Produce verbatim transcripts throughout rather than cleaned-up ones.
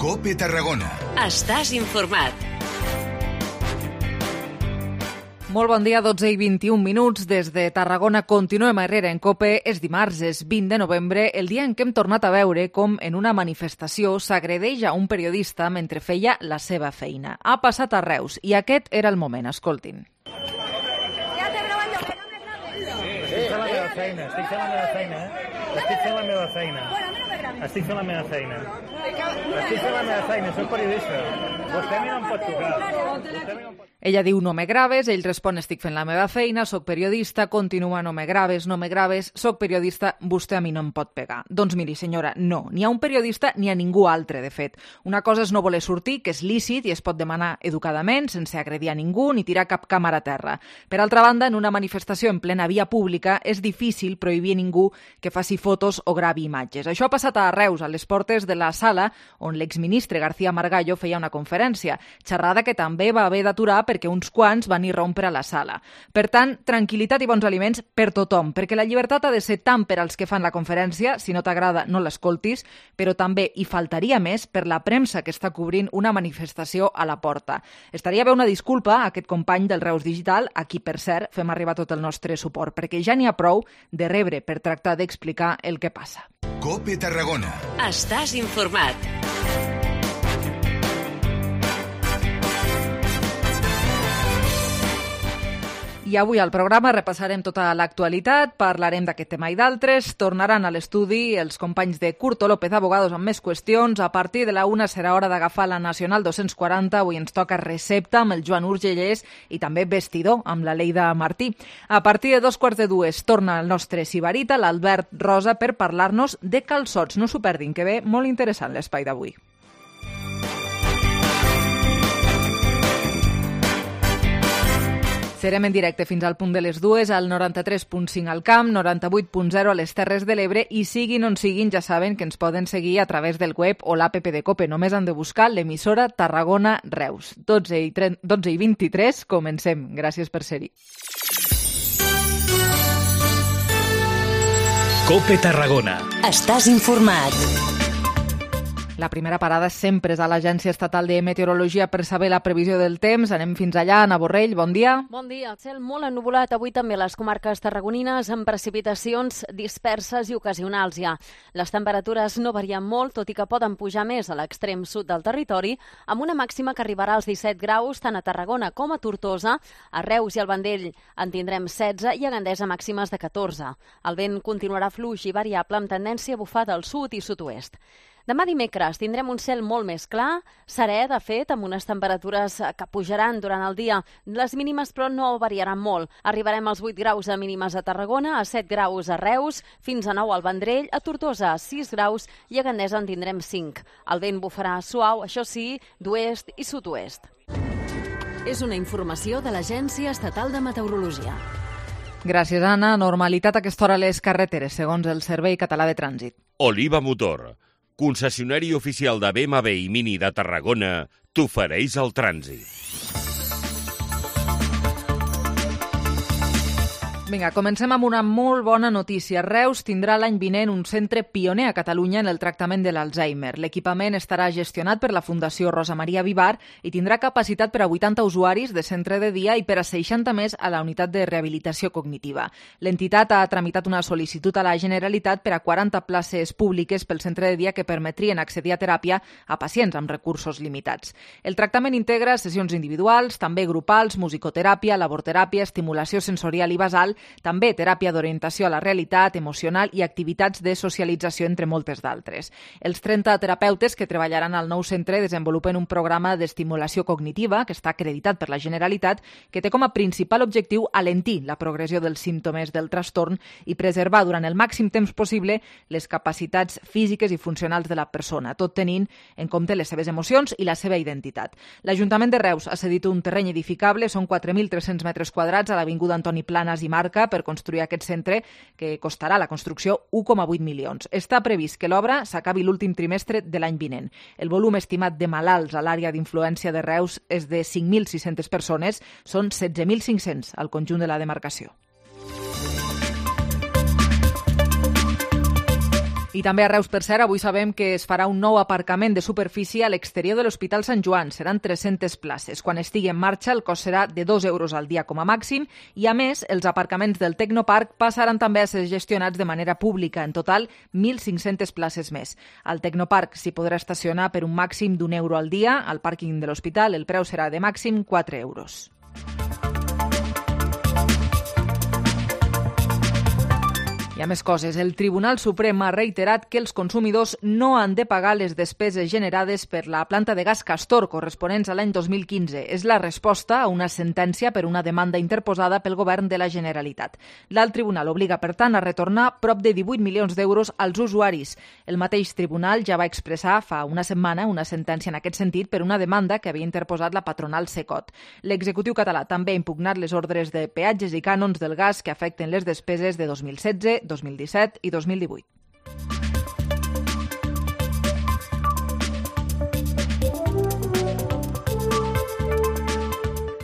COPE Tarragona. Estàs informat. Molt bon dia, dotze i vint-i-un minuts. Des de Tarragona continuem a Herrera en COPE. És dimarts, és vint de novembre, el dia en què hem tornat a veure com en una manifestació s'agredeix a un periodista mentre feia la seva feina. Ha passat a Reus i aquest era el moment. Escoltin. Estic fent la meva feina, estic fent la meva feina, eh? Estic fent la meva feina. Estic fent la meva feina. Estic fent la meva feina, soc periodista. Vostè a mi no em pot tocar. Vostè a mi no em pot... Ella diu no me graves, ell respon estic fent la meva feina, soc periodista, continua no me graves, no me graves, soc periodista, vostè a mi no em pot pegar. Doncs miri senyora, no, ni a un periodista ni a ningú altre, de fet. Una cosa és no voler sortir, que és lícit i es pot demanar educadament, sense agredir a ningú ni tirar cap càmera a terra. Per altra banda, en una manifestació en plena via pública és difícil prohibir a ningú que faci fotos o gravi imatges. Això ha passat a Reus, a les portes de la sala on l'exministre García Margallo feia una conferència, xerrada que també va haver d'aturar perquè uns quants van irrompre a la sala. Per tant, tranquil·litat i bons aliments per tothom, perquè la llibertat ha de ser tant per als que fan la conferència, si no t'agrada no l'escoltis, però també hi faltaria més per la premsa que està cobrint una manifestació a la porta. Estaria bé una disculpa a aquest company del Reus Digital, a qui, per cert, fem arribar tot el nostre suport, perquè ja n'hi ha prou de rebre per tractar d'explicar el que passa. COPE Tarragona. Estàs informat. I avui al programa repassarem tota l'actualitat, parlarem d'aquest tema i d'altres, tornaran a l'estudi els companys de Curto López Abogados amb més qüestions. A partir de la una serà hora d'agafar la Nacional dos-cents quaranta, avui ens toca recepta amb el Joan Urgellés i també vestidor amb la Leida Martí. A partir de dos quarts de dues torna el nostre sibarita, l'Albert Rosa, per parlar-nos de calçots. No s'ho perdin, que ve molt interessant l'espai d'avui. Serem en directe fins al punt de les dues, al noranta-tres punt cinc al Camp, noranta-vuit punt zero a les Terres de l'Ebre, i siguin on siguin, ja saben que ens poden seguir a través del web o l'app de COPE. Només han de buscar l'emissora Tarragona Reus. dotze i vint-i-tres, comencem. Gràcies per ser-hi. COPE Tarragona. Estàs informat. La primera parada sempre és a l'Agència Estatal de Meteorologia per saber la previsió del temps. Anem fins allà. Ana Borrell, bon dia. Bon dia. El cel molt ennuvolat avui també a les comarques tarragonines amb precipitacions disperses i ocasionals ja. Les temperatures no varien molt, tot i que poden pujar més a l'extrem sud del territori, amb una màxima que arribarà als disset graus tant a Tarragona com a Tortosa. A Reus i al Vendell en tindrem setze i a Gandesa màximes de catorze. El vent continuarà fluix i variable amb tendència a bufar del sud i sud-oest. Demà dimecres tindrem un cel molt més clar, serè, de fet, amb unes temperatures que pujaran durant el dia. Les mínimes, però, no variaran molt. Arribarem als vuit graus de mínimes a Tarragona, a set graus a Reus, fins a nou al Vendrell, a Tortosa a sis graus i a Gandesa en tindrem cinc. El vent bufarà suau, això sí, d'oest i sud-oest. És una informació de l'Agència Estatal de Meteorologia. Gràcies, Anna. Normalitat a aquesta hora a les carreteres, segons el Servei Català de Trànsit. Oliva Motor, concessionari oficial de B M W i Mini de Tarragona, t'ofereix el trànsit. Vinga, comencem amb una molt bona notícia. Reus tindrà l'any vinent un centre pioner a Catalunya en el tractament de l'Alzheimer. L'equipament estarà gestionat per la Fundació Rosa Maria Vivar i tindrà capacitat per a vuitanta usuaris de centre de dia i per a seixanta més a la unitat de rehabilitació cognitiva. L'entitat ha tramitat una sol·licitud a la Generalitat per a quaranta places públiques pel centre de dia que permetrien accedir a teràpia a pacients amb recursos limitats. El tractament integra sessions individuals, també grupals, musicoteràpia, laborteràpia, estimulació sensorial i basal, també teràpia d'orientació a la realitat emocional i activitats de socialització, entre moltes d'altres. Els trenta terapeutes que treballaran al nou centre desenvolupen un programa d'estimulació cognitiva que està acreditat per la Generalitat, que té com a principal objectiu alentir la progressió dels símptomes del trastorn i preservar durant el màxim temps possible les capacitats físiques i funcionals de la persona, tot tenint en compte les seves emocions i la seva identitat. L'Ajuntament de Reus ha cedit un terreny edificable, són quatre mil tres-cents metres quadrats a l'Avinguda Antoni Planas i Marc, per construir aquest centre, que costarà la construcció un coma vuit milions. Està previst que l'obra s'acabi l'últim trimestre de l'any vinent. El volum estimat de malalts a l'àrea d'influència de Reus és de cinc mil sis-centes persones, són setze mil cinc-cents al conjunt de la demarcació. I també a Reus, per cert, avui sabem que es farà un nou aparcament de superfície a l'exterior de l'Hospital Sant Joan. Seran tres-centes places. Quan estigui en marxa, el cost serà de dos euros al dia com a màxim i, a més, els aparcaments del Tecnoparc passaran també a ser gestionats de manera pública. En total, mil cinc-centes places més. Al Tecnoparc s'hi podrà estacionar per un màxim d'un euro al dia. Al pàrquing de l'hospital el preu serà de màxim quatre euros. Hi ha més coses. El Tribunal Suprem ha reiterat que els consumidors no han de pagar les despeses generades per la planta de gas Castor, corresponents a l'any dos mil quinze. És la resposta a una sentència per una demanda interposada pel govern de la Generalitat. L'alt tribunal obliga, per tant, a retornar prop de divuit milions d'euros als usuaris. El mateix tribunal ja va expressar fa una setmana una sentència en aquest sentit per una demanda que havia interposat la patronal Secot. L'executiu català també ha impugnat les ordres de peatges i cànons del gas que afecten les despeses de dos mil setze, dos mil disset i dos mil divuit.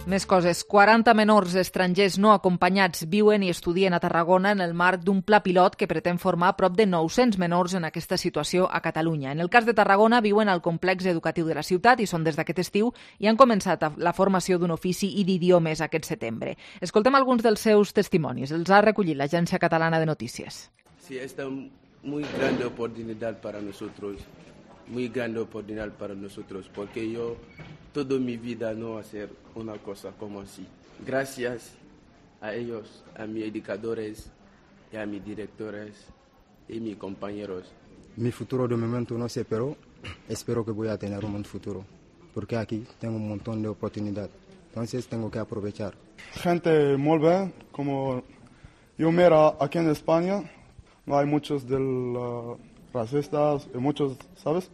Més coses. quaranta menors estrangers no acompanyats viuen i estudien a Tarragona en el marc d'un pla pilot que pretén formar prop de nou-cents menors en aquesta situació a Catalunya. En el cas de Tarragona, viuen al complex educatiu de la ciutat i són des d'aquest estiu i han començat la formació d'un ofici i d'idiomes aquest setembre. Escoltem alguns dels seus testimonis. Els ha recollit l'Agència Catalana de Notícies. Sí, esta muy grande oportunidad para nosotros, muy grande oportunidad para nosotros, porque yo toda mi vida no hacer una cosa como así. Gracias a ellos, a mis educadores y a mis directores y mis compañeros. Mi futuro de momento no sé, pero espero que voy a tener un buen futuro, porque aquí tengo un montón de oportunidades, entonces tengo que aprovechar. Gente muy bien, como yo mira aquí en España, no hay muchos del, uh, racistas y muchos, ¿sabes?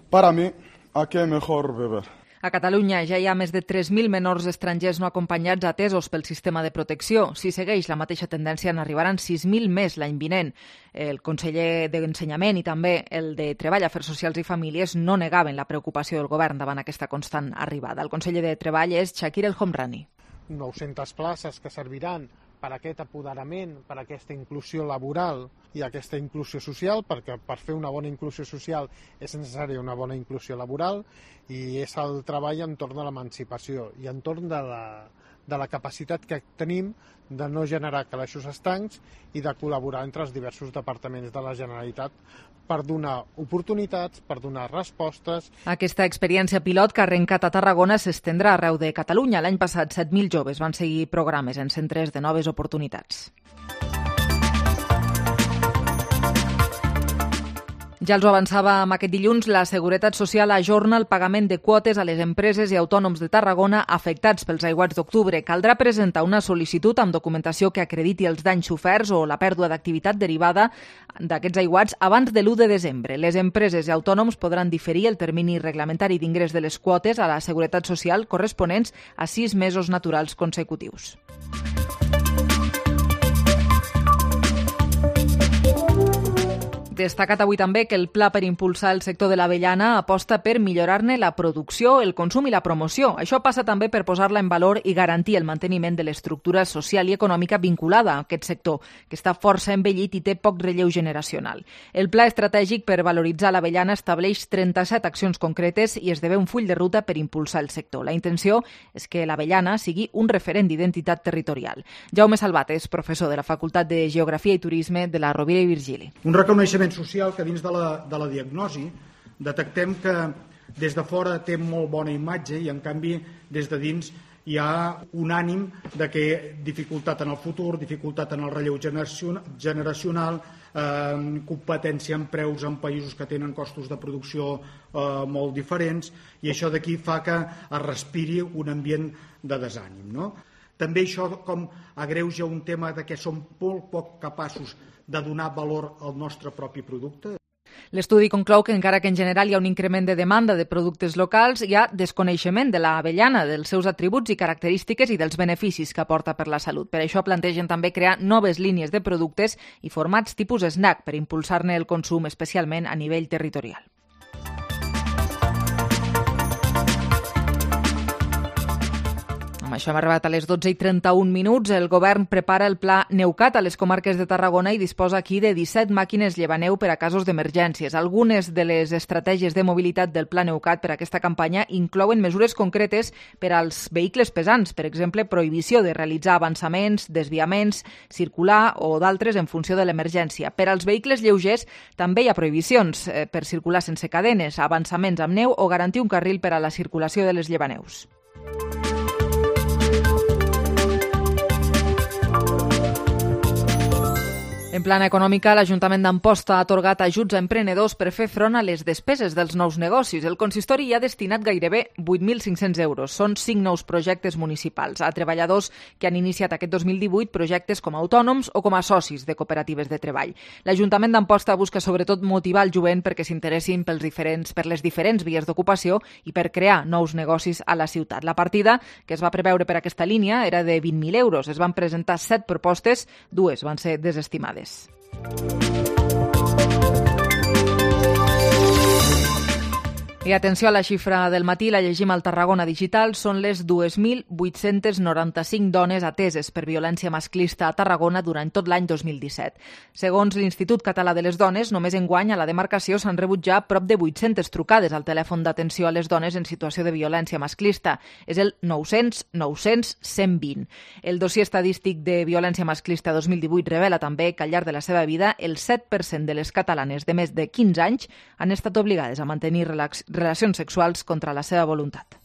Para mí, aquí es mejor vivir. A Catalunya ja hi ha més de tres mil menors estrangers no acompanyats atesos pel sistema de protecció. Si segueix la mateixa tendència, n'arribaran sis mil més l'any vinent. El conseller d'Ensenyament i també el de Treball, Afers Socials i Famílies no negaven la preocupació del govern davant aquesta constant arribada. El conseller de Treball és Shakir El Homrani. nou-centes places que serviran per aquest apoderament, per aquesta inclusió laboral i aquesta inclusió social, perquè per fer una bona inclusió social és necessària una bona inclusió laboral, i és el treball entorn de l'emancipació i entorn de la, de la capacitat que tenim de no generar calaixos estancs i de col·laborar entre els diversos departaments de la Generalitat per donar oportunitats, per donar respostes. Aquesta experiència pilot que ha arrencat a Tarragona s'estendrà arreu de Catalunya. L'any passat, set mil joves van seguir programes en centres de noves oportunitats. Ja els ho avançàvem aquest dilluns, la Seguretat Social ajorna el pagament de quotes a les empreses i autònoms de Tarragona afectats pels aiguats d'octubre. Caldrà presentar una sol·licitud amb documentació que acrediti els danys soferts o la pèrdua d'activitat derivada d'aquests aiguats abans de l'u de desembre. Les empreses i autònoms podran diferir el termini reglamentari d'ingrés de les quotes a la Seguretat Social corresponents a sis mesos naturals consecutius. Destacat avui també que el pla per impulsar el sector de l'avellana aposta per millorar-ne la producció, el consum i la promoció. Això passa també per posar-la en valor i garantir el manteniment de l'estructura social i econòmica vinculada a aquest sector, que està força envellit i té poc relleu generacional. El pla estratègic per valoritzar l'avellana estableix trenta-set accions concretes i esdevé un full de ruta per impulsar el sector. La intenció és que l'avellana sigui un referent d'identitat territorial. Jaume Salvat és professor de la Facultat de Geografia i Turisme de la Rovira i Virgili. Un reconeixement social que dins de la, de la diagnosi detectem que des de fora té molt bona imatge i en canvi des de dins hi ha un ànim de que dificultat en el futur, dificultat en el relleu generacional, eh, competència en preus en països que tenen costos de producció eh, molt diferents, i això d'aquí fa que es respiri un ambient de desànim, no? També això com agreuja un tema de que som molt poc capaços de donar valor al nostre propi producte. L'estudi conclou que encara que en general hi ha un increment de demanda de productes locals, hi ha desconeixement de l'avellana, dels seus atributs i característiques i dels beneficis que aporta per la salut. Per això plantegen també crear noves línies de productes i formats tipus snack per impulsar-ne el consum, especialment a nivell territorial. Amb això hem arribat a les dotze i trenta-un minuts. El govern prepara el pla Neucat a les comarques de Tarragona i disposa aquí de disset màquines llevaneu per a casos d'emergències. Algunes de les estratègies de mobilitat del pla Neucat per a aquesta campanya inclouen mesures concretes per als vehicles pesants, per exemple, prohibició de realitzar avançaments, desviaments, circular o d'altres en funció de l'emergència. Per als vehicles lleugers també hi ha prohibicions eh, per circular sense cadenes, avançaments amb neu o garantir un carril per a la circulació de les llevaneus. En plana econòmica, l'Ajuntament d'Amposta ha atorgat ajuts a emprenedors per fer front a les despeses dels nous negocis. El consistori hi ha destinat gairebé vuit mil cinc-cents euros. Són cinc nous projectes municipals a treballadors que han iniciat aquest dos mil divuit projectes com a autònoms o com a socis de cooperatives de treball. L'Ajuntament d'Amposta busca sobretot motivar el jovent perquè s'interessin pels diferents, per les diferents vies d'ocupació i per crear nous negocis a la ciutat. La partida que es va preveure per aquesta línia era de vint mil euros. Es van presentar set propostes, dues van ser desestimades. I atenció a la xifra del matí, la llegim al Tarragona Digital, són les dos mil vuit-cents noranta-cinc dones ateses per violència masclista a Tarragona durant tot l'any dos mil disset. Segons l'Institut Català de les Dones, només enguany a la demarcació s'han rebut ja prop de vuit-centes trucades al telèfon d'atenció a les dones en situació de violència masclista. És el nou-cents nou-cents cent vint. El dossier estadístic de violència masclista dos mil divuit revela també que al llarg de la seva vida el set per cent de les catalanes de més de quinze anys han estat obligades a mantenir relacions relacions sexuals contra la seva voluntat.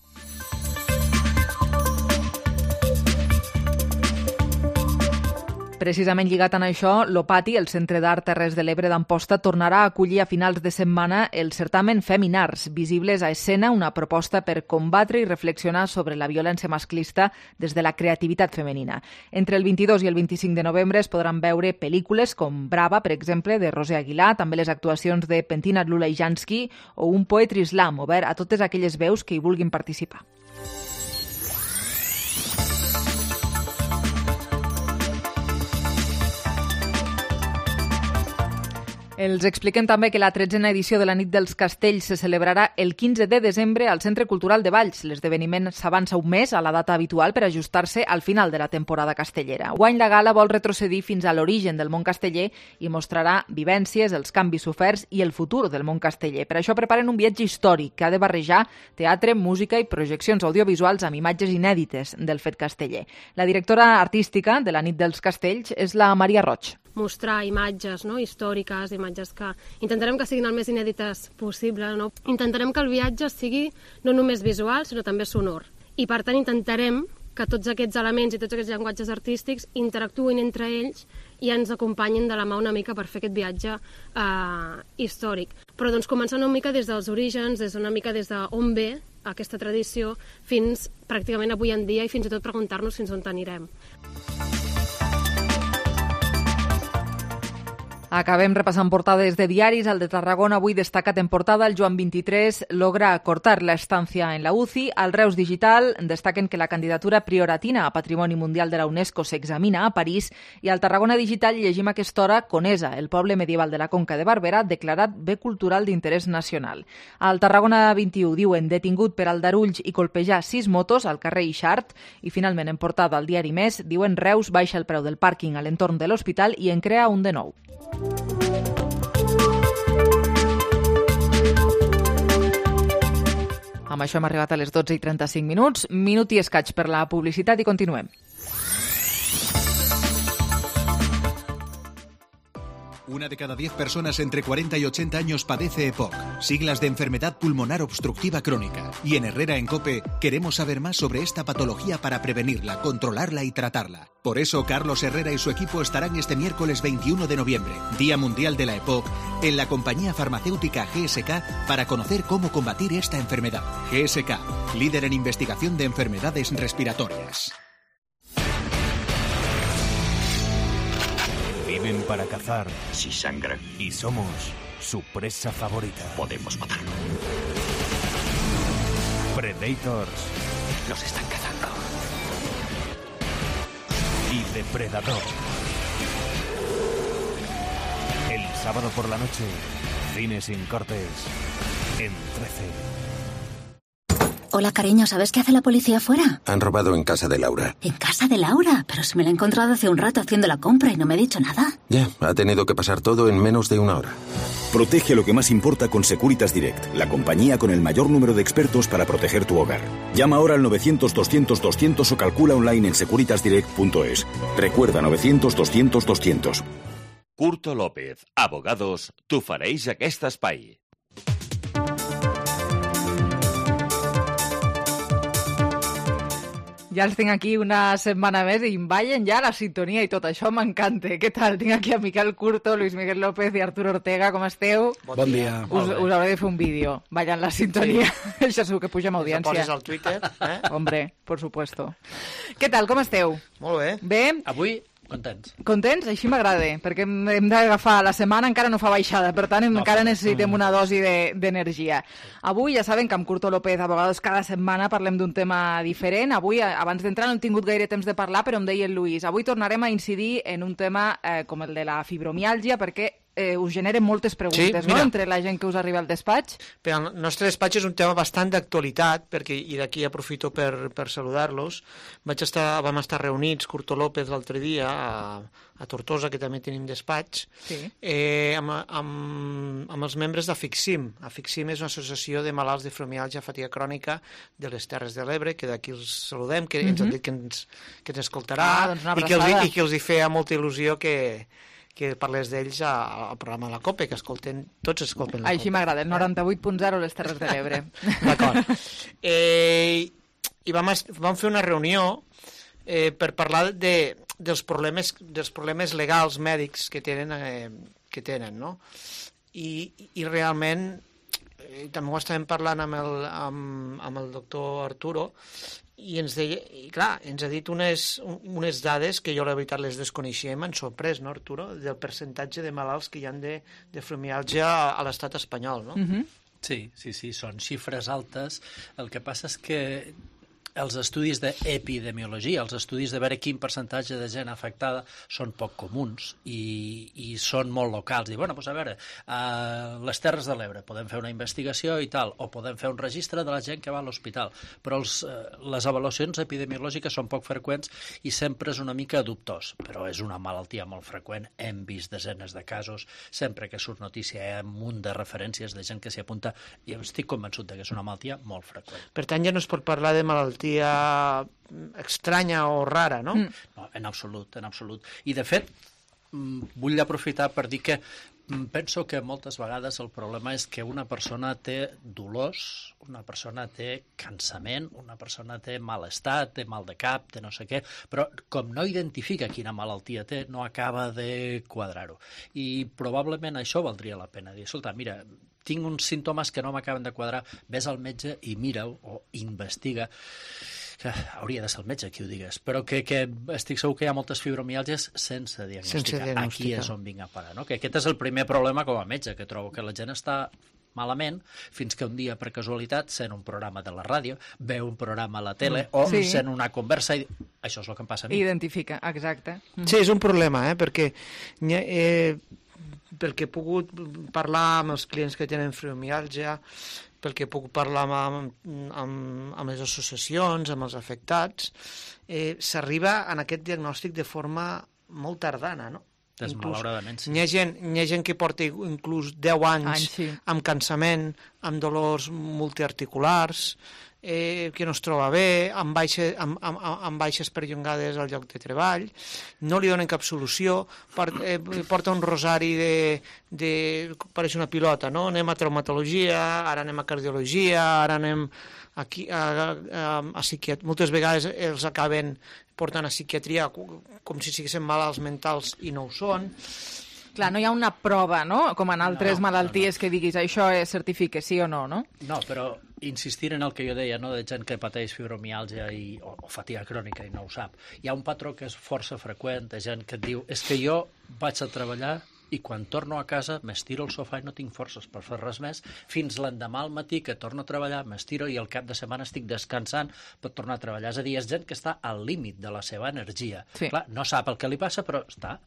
Precisament lligat a això, l'Opati, el Centre d'Art Terres de l'Ebre d'Amposta, tornarà a acollir a finals de setmana el certamen Feminars, visibles a escena, una proposta per combatre i reflexionar sobre la violència masclista des de la creativitat femenina. Entre el vint-i-dos i el vint-i-cinc de novembre es podran veure pel·lícules com Brava, per exemple, de Roser Aguilar, també les actuacions de Pentinat Lulaijansky o un Poetry Slam, obert a totes aquelles veus que hi vulguin participar. Els expliquem també que la tretzena edició de la Nit dels Castells se celebrarà el quinze de desembre al Centre Cultural de Valls. L'esdeveniment s'avança un mes a la data habitual per ajustar-se al final de la temporada castellera. Guany la gala vol retrocedir fins a l'origen del món casteller i mostrarà vivències, els canvis soferts i el futur del món casteller. Per això preparen un viatge històric que ha de barrejar teatre, música i projeccions audiovisuals amb imatges inèdites del fet casteller. La directora artística de la Nit dels Castells és la Maria Roig. Mostrar imatges no, històriques, imatges que intentarem que siguin el més inèdites possible. No? Intentarem que el viatge sigui no només visual, sinó també sonor. I per tant intentarem que tots aquests elements i tots aquests llenguatges artístics interactuïn entre ells i ens acompanyin de la mà una mica per fer aquest viatge eh, històric. Però doncs començar una mica des dels orígens, des una mica des d'on ve aquesta tradició, fins pràcticament avui en dia i fins i tot preguntar-nos fins on anirem. Acabem repassant portades de diaris. El de Tarragona avui destacat en portada. El Joan veintitrés logra acortar la estancia en la U C I. Al Reus Digital destaquen que la candidatura prioratina a Patrimoni Mundial de la UNESCO s'examina a París. I al Tarragona Digital llegim a aquesta hora Conesa, el poble medieval de la Conca de Barberà, declarat bé cultural d'interès nacional. Al Tarragona vint-i-u diuen detingut per aldarulls i colpejar sis motos al carrer Ixart. I finalment en portada al diari Més diuen Reus baixa el preu del pàrquing a l'entorn de l'hospital i en crea un de nou. Amb això hem arribat a les dotze i trenta-cinc minuts. Minut i escaig per la publicitat i continuem. Una de cada diez personas entre cuarenta y ochenta años padece E P O C, siglas de enfermedad pulmonar obstructiva crónica. Y en Herrera en COPE queremos saber más sobre esta patología para prevenirla, controlarla y tratarla. Por eso Carlos Herrera y su equipo estarán este miércoles veintiuno de noviembre, Día Mundial de la E P O C, en la compañía farmacéutica G S K para conocer cómo combatir esta enfermedad. G S K, líder en investigación de enfermedades respiratorias. Viven para cazar. Si sangran. Y somos su presa favorita. Podemos matarlo. Predators. Nos están cazando. Y Depredador. El sábado por la noche, Cine sin cortes, en trece. Hola, cariño, ¿sabes qué hace la policía afuera? Han robado en casa de Laura. ¿En casa de Laura? Pero si me la he encontrado hace un rato haciendo la compra y no me ha dicho nada. Ya, ha tenido que pasar todo en menos de una hora. Protege lo que más importa con Securitas Direct, la compañía con el mayor número de expertos para proteger tu hogar. Llama ahora al novecientos doscientos doscientos o calcula online en securitas direct punto es. Recuerda, novecientos doscientos doscientos. Curto López, Abogados, t'ofereix aquest espai. Ja els tinc aquí una setmana més i em ballen ja la sintonia i tot això m'encanta. Què tal? Tinc aquí a Miquel Curto, Luis Miguel López i Arturo Ortega. Com esteu? Bon dia. Us, us hauré de fer un vídeo ballant la sintonia. Sí. Això segur que puja amb audiència. Poses al Twitter, eh? Hombre, por supuesto. Què tal? Com esteu? Molt bé. Bé? Avui, contents. Contents? Així m'agrada, perquè hem, hem d'agafar la setmana, encara no fa baixada, per tant no, encara necessitem una dosi d'energia. De, Avui ja saben que amb Curto López, Abogados, cada setmana parlem d'un tema diferent. Avui, abans d'entrar, no hem tingut gaire temps de parlar, però em deia el Lluís, avui tornarem a incidir en un tema eh, com el de la fibromiàlgia, perquè eh, us generen moltes preguntes, sí, no?, entre la gent que us arriba al despatx. Per al nostre despatx és un tema bastant d'actualitat, perquè, i d'aquí aprofito per, per saludar-los. Vaig estar, vam estar reunits, Curto López, l'altre dia, a, a Tortosa, que també tenim despatx, sí. eh, amb, amb, amb els membres d'Afixim. Afixim és una associació de malalts de fibromiàlgia, fatiga crònica de les Terres de l'Ebre, que d'aquí els saludem, que mm-hmm. ens han dit que ens, que ens escoltarà, ah, doncs i, que els, i que els hi feia molta il·lusió que que parlés d'ells al programa de la COPE, que escolten, tots escolten la COPE. Així m'agrada, el noranta-vuit punt zero les Terres de l'Ebre. D'acord. Eh, I vam, vam fer una reunió eh, per parlar de, dels, problemes, dels problemes legals mèdics que tenen, eh, que tenen, no? I, i realment, eh, també ho estàvem parlant amb el, amb, amb el doctor Arturo, i ens deia, i clar, ens ha dit unes, unes dades que jo la veritat les desconeixia i m'han sorprès, no, Arturo? Del percentatge de malalts que hi ha de, de fibromiàlgia a l'estat espanyol, no? Mm-hmm. Sí, sí, sí, són xifres altes. El que passa és que els estudis d'epidemiologia, els estudis de veure quin percentatge de gent afectada són poc comuns i, i són molt locals. I, bueno, doncs a veure, a les Terres de l'Ebre podem fer una investigació i tal, o podem fer un registre de la gent que va a l'hospital, però els, les avaluacions epidemiològiques són poc freqüents i sempre és una mica dubtós, però és una malaltia molt freqüent, hem vist desenes de casos, sempre que surt notícia hi ha un munt de referències de gent que s'hi apunta i estic convençut que és una malaltia molt freqüent. Per tant, ja no es pot parlar de malaltia estranya o rara, no? Mm. No, en absolut, en absolut. I, de fet, vull aprofitar per dir que penso que moltes vegades el problema és que una persona té dolors, una persona té cansament, una persona té malestar, té mal de cap, té no sé què, però com no identifica quina malaltia té, no acaba de quadrar-ho. I probablement això valdria la pena dir, escolta, mira, tinc uns símptomes que no m'acaben de quadrar, ves al metge i mira-ho o investiga, que hauria de ser el metge qui ho digués, però que, que estic segur que hi ha moltes fibromiàlgies sense diagnosticar. Sense diagnosticar. Aquí és on vinc a parar, no? Que aquest és el primer problema com a metge, que trobo que la gent està malament, fins que un dia, per casualitat, sent un programa de la ràdio, veu un programa a la tele mm. o sí. sent una conversa i això és el que em passa a mi. Identifica, exacte. Sí, és un problema, eh? Perquè eh, pel que he pogut parlar amb els clients que tenen fibromiàlgia, pel que he pogut parlar amb, amb, amb les associacions, amb els afectats, eh, s'arriba en aquest diagnòstic de forma molt tardana, no? Desmalauradament, sí. N'hi ha gent, n'hi ha gent que porta inclús deu anys, anys sí. amb cansament, amb dolors multiarticulars, eh, que no es troba bé, amb, baixa, amb, amb, amb baixes perllongades al lloc de treball, no li donen cap solució, port, eh, porta un rosari de, de... pareix una pilota, no? Anem a traumatologia, ara anem a cardiologia, ara anem aquí, a, a, a, a psiquiatria. Moltes vegades els acaben portant a psiquiatria com si siguessin malalts mentals i no ho són. Clar, no hi ha una prova, no?, com en altres no, malalties no, no. que diguis això es certifica, sí o no, no? No, però insistir en el que jo deia, no?, de gent que pateix fibromiàlgia i, o, o fatiga crònica i no ho sap. Hi ha un patró que és força freqüent de gent que et diu és que jo vaig a treballar i quan torno a casa m'estiro al sofà i no tinc forces per fer res més, fins l'endemà al matí que torno a treballar, m'estiro i al cap de setmana estic descansant per tornar a treballar. És a dir, és gent que està al límit de la seva energia. Sí. Clar, no sap el que li passa, però està...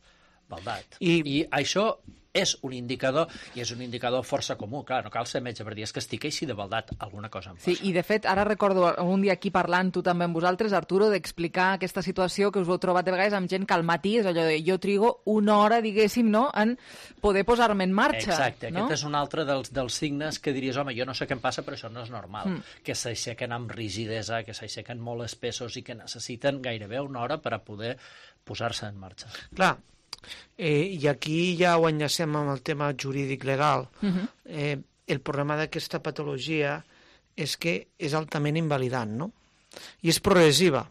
baldat. I, I això és un indicador, i és un indicador força comú, clar, no cal ser metge per dir, és que estic així de baldat, alguna cosa em passa. Sí, i de fet, ara recordo un dia aquí parlant tu també amb vosaltres, Arturo, d'explicar aquesta situació que us heu trobat de vegades amb gent que al matí és allò de jo trigo una hora, diguéssim, no?, en poder posar-me en marxa. Exacte, no? Aquest és un altre dels, dels signes que diries, home, jo no sé què em passa, però això no és normal, mm. que s'aixequen amb rigidesa, que s'aixequen molt espessos i que necessiten gairebé una hora per a poder posar-se en marxa. Clar, Eh, i aquí ja ho enllacem amb el tema jurídic legal. Uh-huh. eh, el problema d'aquesta patologia és que és altament invalidant, no? I és progressiva.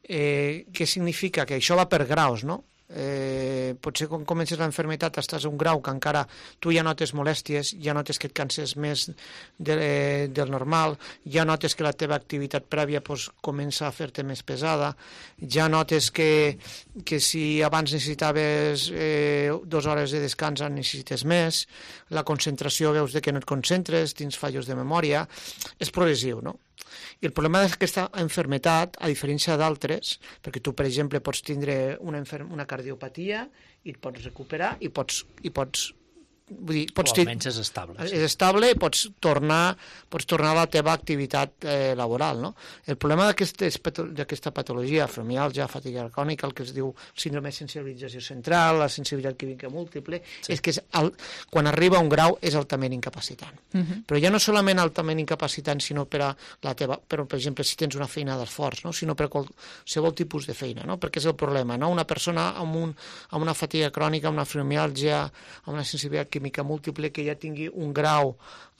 Eh, què significa? Que això va per graus, no? Eh, potser quan comences l'enfermitat estàs a un grau que encara tu ja notes molèsties, ja notes que et canses més de, eh, del normal, ja notes que la teva activitat prèvia pues, comença a fer-te més pesada, ja notes que, que si abans necessitaves eh, dues hores de descans en necessites més, la concentració veus de que no et concentres, tens fallos de memòria, és progressiu, no? I el problema d'aquesta enfermetat, a diferència d'altres, perquè tu, per exemple, pots tindre una, una cardiopatia i et pots recuperar i pots, i pots vull dir, pots o almenys és estable. Sí. És estable i pots tornar, pots tornar a la teva activitat eh, laboral. No? El problema d'aquesta patologia, fibromiàlgia, fatiga crònica, el que es diu síndrome de sensibilització central, la sensibilitat química múltiple, sí. és que és el, quan arriba a un grau és altament incapacitant. Uh-huh. Però ja no solament altament incapacitant, sinó per a la teva, però, per exemple, si tens una feina d'esforç, no? sinó per a qualsevol tipus de feina, no? perquè és el problema. No? Una persona amb, un, amb una fatiga crònica, amb una fibromiàlgia, amb una sensibilitat química múltiple que ja tingui un grau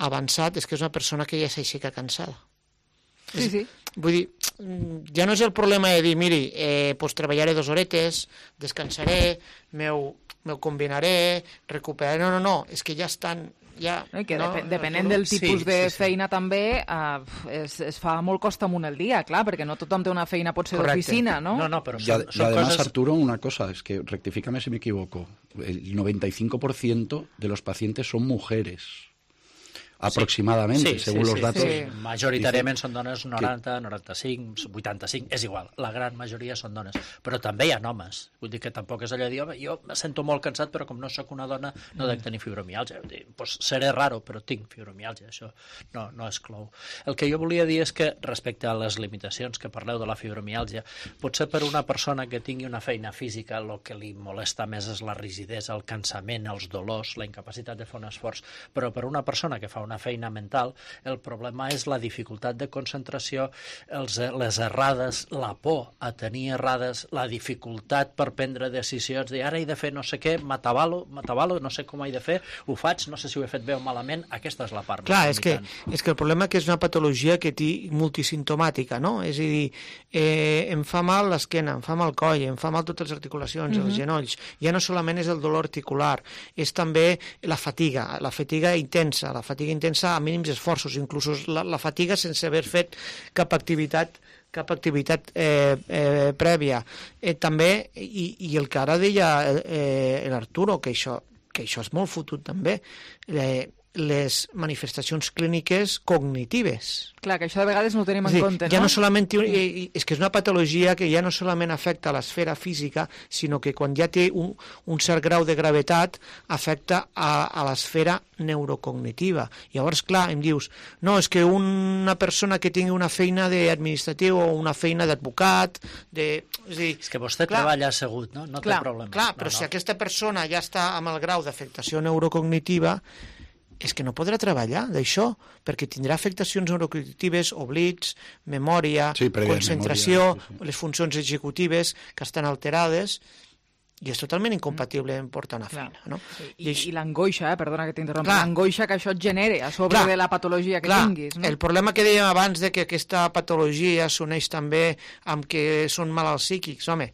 avançat, és que és una persona que ja s'aixeca cansada. Sí, sí. Vull dir, ja no és el problema de dir, miri, eh, pues treballaré dues horetes, descansaré, m'ho combinaré, recuperaré... No, no, no, és que ja estan... Ja, no, que no, dep depenent del tipus sí, de sí, sí. feina també uh, es, es fa molt costa amunt el dia, clar, perquè no tothom té una feina, pot ser d'oficina, ¿no? No, no, pero y, son, y son además, cosas... Arturo, una cosa, es que rectifícame si me equivoco, el noventa y cinco por ciento de los pacientes son mujeres. Aproximadamente, sí, según sí, los sí, datos. Sí. Majoritàriament són dones noranta, noranta-cinc, vuitanta-cinc, és igual, la gran majoria són dones, però també hi ha homes, vull dir que tampoc és allò de dir, home, jo me sento molt cansat, però com no sóc una dona no dec tenir fibromiàlgia, vull dir, pues seré raro, però tinc fibromiàlgia, això no, no exclou. El que jo volia dir és que respecte a les limitacions que parleu de la fibromiàlgia, potser per una persona que tingui una feina física, el que li molesta més és la rigidesa, el cansament, els dolors, la incapacitat de fer un esforç, però per una persona que fa una una feina mental, el problema és la dificultat de concentració, els, les errades, la por a tenir errades, la dificultat per prendre decisions, de ara he de fer no sé què, m'atabalo, m'atabalo, no sé com he de fer, ho faig, no sé si ho he fet bé o malament, aquesta és la part Clar, més és que, és que el problema que és una patologia que té multisimptomàtica, no? És a dir, eh, em fa mal l'esquena, em fa mal el coll, em fa mal totes les articulacions, uh-huh. els genolls, ja no solament és el dolor articular, és també la fatiga, la fatiga intensa, la fatiga intensa a mínims esforços, inclús la, la fatiga sense haver fet cap activitat cap activitat eh, eh, prèvia. Eh, també, i, i el que ara deia eh, l'Arturo, que això, que això és molt fotut també, eh, les manifestacions clíniques cognitives. Clar, que això de vegades no ho tenim en sí, compte, ja no? no solament, és que és una patologia que ja no solament afecta a l'esfera física, sinó que quan ja té un, un cert grau de gravetat afecta a, a l'esfera neurocognitiva. Llavors, clar, em dius, no, és que una persona que tingui una feina d'administratiu o una feina d'advocat, de... És, dir, és que vostè clar, treballa assegut, no? No clar, té problema. Clar, però no, si no. aquesta persona ja està amb el grau d'afectació neurocognitiva, és que no podrà treballar d'això, perquè tindrà afectacions neurocognitives, oblits, memòria, sí, concentració, memòria, sí, sí. les funcions executives que estan alterades, i és totalment incompatible en portar una feina. No? I, I, i l'angoixa, eh? perdona que t'interrompi, l'angoixa que això et genera a sobre clar, de la patologia que clar, tinguis. No? El problema que dèiem abans de que aquesta patologia s'uneix també amb que són malalts psíquics, home,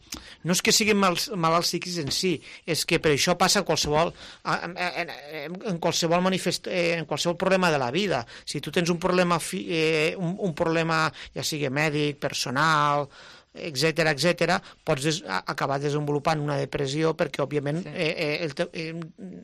no és que siguin mal, malalts psíquics en si, és que per això passa en qualsevol, en, en, en, qualsevol manifest, en qualsevol problema de la vida. Si tu tens un problema, fi, eh, un, un problema ja sigui mèdic, personal, etcètera, etcètera, pots des acabar desenvolupant una depressió perquè, òbviament, sí. eh, eh, el te eh,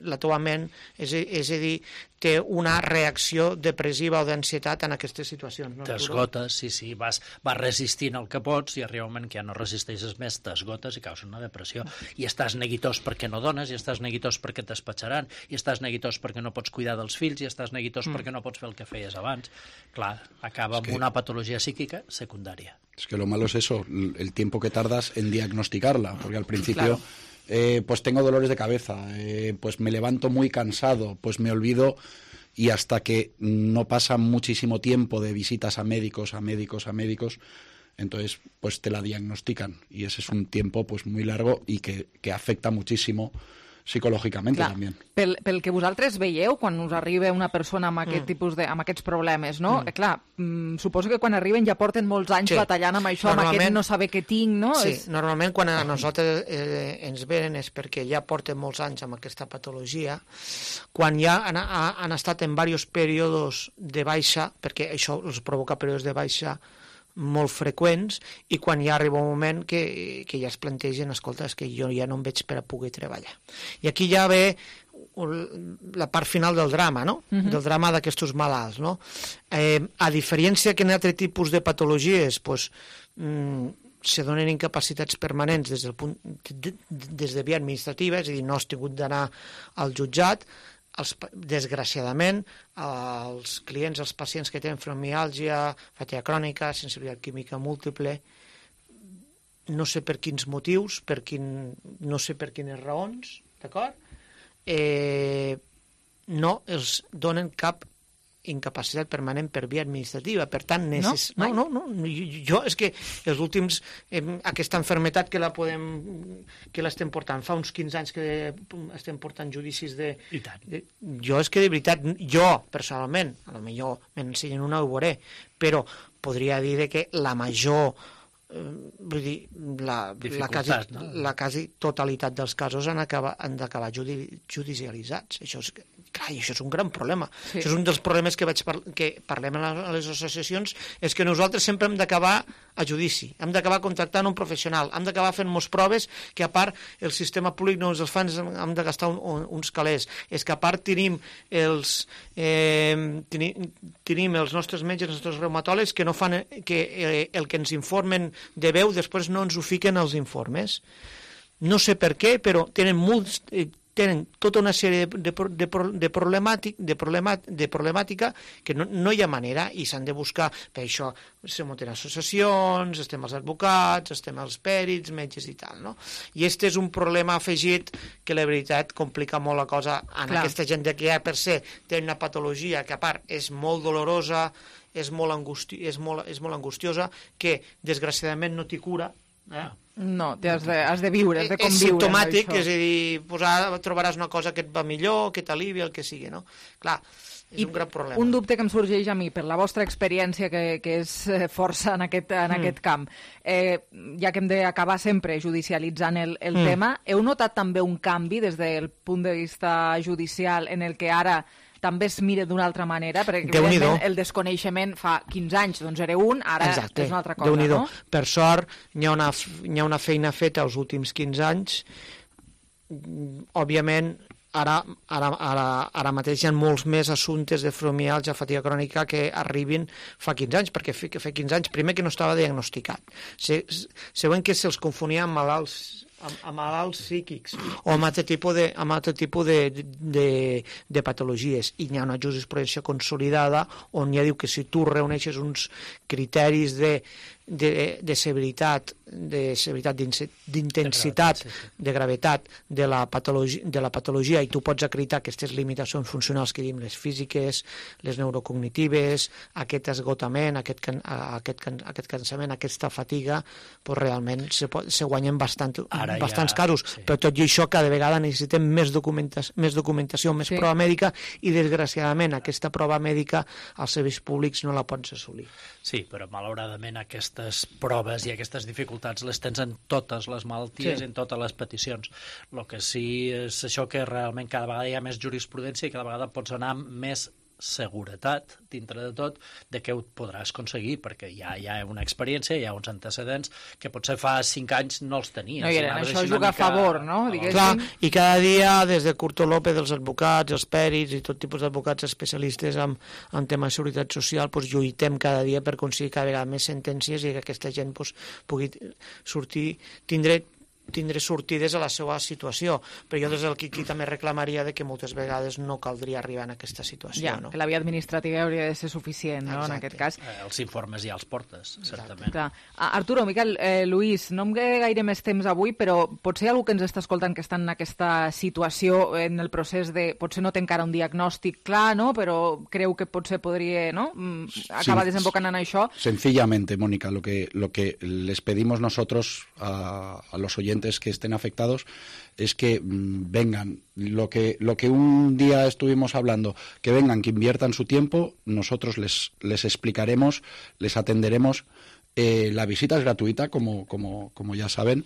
la teva ment, és, és a dir, té una reacció depressiva o d'ansietat en aquestes situacions. No? T'esgotes, sí, sí, vas, vas resistint el que pots i arriba un moment que ja no resisteixes més, t'esgotes i causa una depressió. I estàs neguitós perquè no dones, i estàs neguitós perquè t'espatxaran, i estàs neguitós perquè no pots cuidar dels fills, i estàs neguitós mm. perquè no pots fer el que feies abans. Clar, acaba amb que... una patologia psíquica secundària. Es que lo malo es eso, el tiempo que tardas en diagnosticarla, porque al principio... Claro. Eh, pues tengo dolores de cabeza, eh, pues me levanto muy cansado, pues me olvido, y hasta que no pasa muchísimo tiempo de visitas a médicos, a médicos, a médicos, entonces pues te la diagnostican, y ese es un tiempo pues muy largo y que, que afecta muchísimo psicològicament també. Pel, pel que vosaltres veieu quan us arriba una persona amb, aquest mm. tipus de, amb aquests problemes, no? Mm. Eh, clar, mm, suposo que quan arriben ja porten molts anys sí. batallant amb això, amb aquest no saber què tinc, no? Sí, és... normalment quan a nosaltres eh, ens venen és perquè ja porten molts anys amb aquesta patologia, quan ja han, han estat en diversos períodes de baixa, perquè això els provoca períodes de baixa molt freqüents, i quan ja arriba un moment que, que ja es plantegen, escolta, és que jo ja no em veig per a poder treballar. I aquí ja ve la part final del drama, no? Uh-huh. Del drama d'aquests malalts, no? Eh, a diferència que en altres tipus de patologies, pues, mm, se donen incapacitats permanents des, del punt, de, des de via administrativa, és a dir, no has tingut d'anar al jutjat. Els, desgraciadament, els clients, els pacients que tenen fibromiàlgia, fatiga crònica, sensibilitat química múltiple, no sé per quins motius, per quin, no sé per quines raons, d'acord? Eh, no els donen cap incapacitat permanent per via administrativa, per tant, necess... no? No, no, no, jo és que els últims, eh, aquesta enfermetat que la podem, que l'estem portant, fa uns quinze anys que estem portant judicis de... I tant. De, jo és que de veritat, jo personalment, a lo millor m'ensenyen una ho veuré, però podria dir que la major, eh, vull dir, la, la, quasi, no? la quasi totalitat dels casos han, acaba, han d'acabar judi, judicialitzats. Això és... Clar, i això és un gran problema. Sí. Això és un dels problemes que, vaig par que parlem a les associacions, és que nosaltres sempre hem d'acabar a judici, hem d'acabar contractant un professional, hem d'acabar fent moltes proves que a part el sistema públic no ens els fa, hem de gastar un, un, uns calés. És que a part tenim els, eh, tenim, tenim els nostres metges, els nostres reumatòlegs que no fan que eh, el que ens informen de veu després no ens ho fiquen als informes. No sé per què, però tenen molts... Eh, tenen tota una sèrie de, de, de, de, problemàtic, de, problemàtic, de problemàtica que no, no hi ha manera i s'han de buscar. Per això se munten associacions, estem els advocats, estem els pèrits, metges i tal, no? I este és un problema afegit que la veritat complica molt la cosa en Clar. Aquesta gent que ja per se té una patologia que a part és molt dolorosa, és molt, angusti és molt, és molt angustiosa, que desgraciadament no t'hi cura. Eh? No, has de, has de viure, has de conviure. És simptomàtic, és a dir, pues ara trobaràs una cosa que et va millor, que t'alivia, el que sigui, no? Clar, és I un gran problema. Un dubte que em sorgeix a mi, per la vostra experiència, que, que és força en aquest, en mm. aquest camp, eh, ja que hem d'acabar sempre judicialitzant el, el mm. tema, heu notat també un canvi des del punt de vista judicial en el que ara també es mira d'una altra manera, perquè el desconeixement fa quinze anys, doncs era un, ara Exacte. És una altra cosa, no? Per sort, hi ha, una, hi ha una feina feta els últims quinze anys. Òbviament, ara, ara, ara, ara mateix hi ha molts més assumptes de fibromiàlgia, fatiga crònica que arribin fa quinze anys, perquè fa quinze anys, primer que no estava diagnosticat. Següent que se'ls confonia amb malalts amb, amb malalts psíquics o amb altre tipus de, amb altre tipus de, de, de patologies. I hi ha una jurisprudència consolidada on ja diu que si tu reuneixes uns criteris de, de, de severitat, de severitat d'intensitat, de gravetat de la, patologia, de la patologia i tu pots acreditar aquestes limitacions funcionals que diem, les físiques, les neurocognitives, aquest esgotament, aquest, aquest, aquest cansament, aquesta fatiga, doncs realment se, pot, se guanyen bastant, bastants ja, casos, sí. Però tot i això cada vegada necessitem més, documenta més documentació, més sí. Prova mèdica i desgraciadament aquesta prova mèdica als serveis públics no la pots assolir. Sí, però malauradament aquestes proves i aquestes dificultats les tens en totes les malalties, sí. En totes les peticions. El que sí és això que realment cada vegada hi ha més jurisprudència i cada vegada pots anar més seguretat, dintre de tot, de que ho podràs aconseguir, perquè ja hi ha una experiència, hi ha uns antecedents que potser fa cinc anys no els tenies. No hi eren, això juga a favor, no? Clar, i cada dia, des de Curto López, els advocats, els pèrits i tot tipus d'advocats especialistes en, en temes de seguretat social, pues, lluitem cada dia per aconseguir cada vegada més sentències i que aquesta gent pues, pugui sortir, tindre tindre sortides a la seva situació, però jo des del Quiqui també reclamaria de que moltes vegades no caldria arribar en aquesta situació. Ja, no? Que la via administrativa hauria de ser suficient, no? En aquest cas. Eh, els informes ja els portes, certament. Clar. Arturo, Miquel, eh, Luís, no em queda gaire més temps avui, però potser algú que ens està escoltant que està en aquesta situació, en el procés de... Potser no té encara un diagnòstic clar, no? Però creu que potser podria, no? Acabar sí, desembocant en això. Sencillamente, Mónica, lo que, lo que les pedimos nosotros a, a los oyentes que estén afectados es que mmm, vengan, lo que, lo que un día estuvimos hablando, que vengan, que inviertan su tiempo, nosotros les, les explicaremos, les atenderemos, eh, la visita es gratuita, como, como, como ya saben,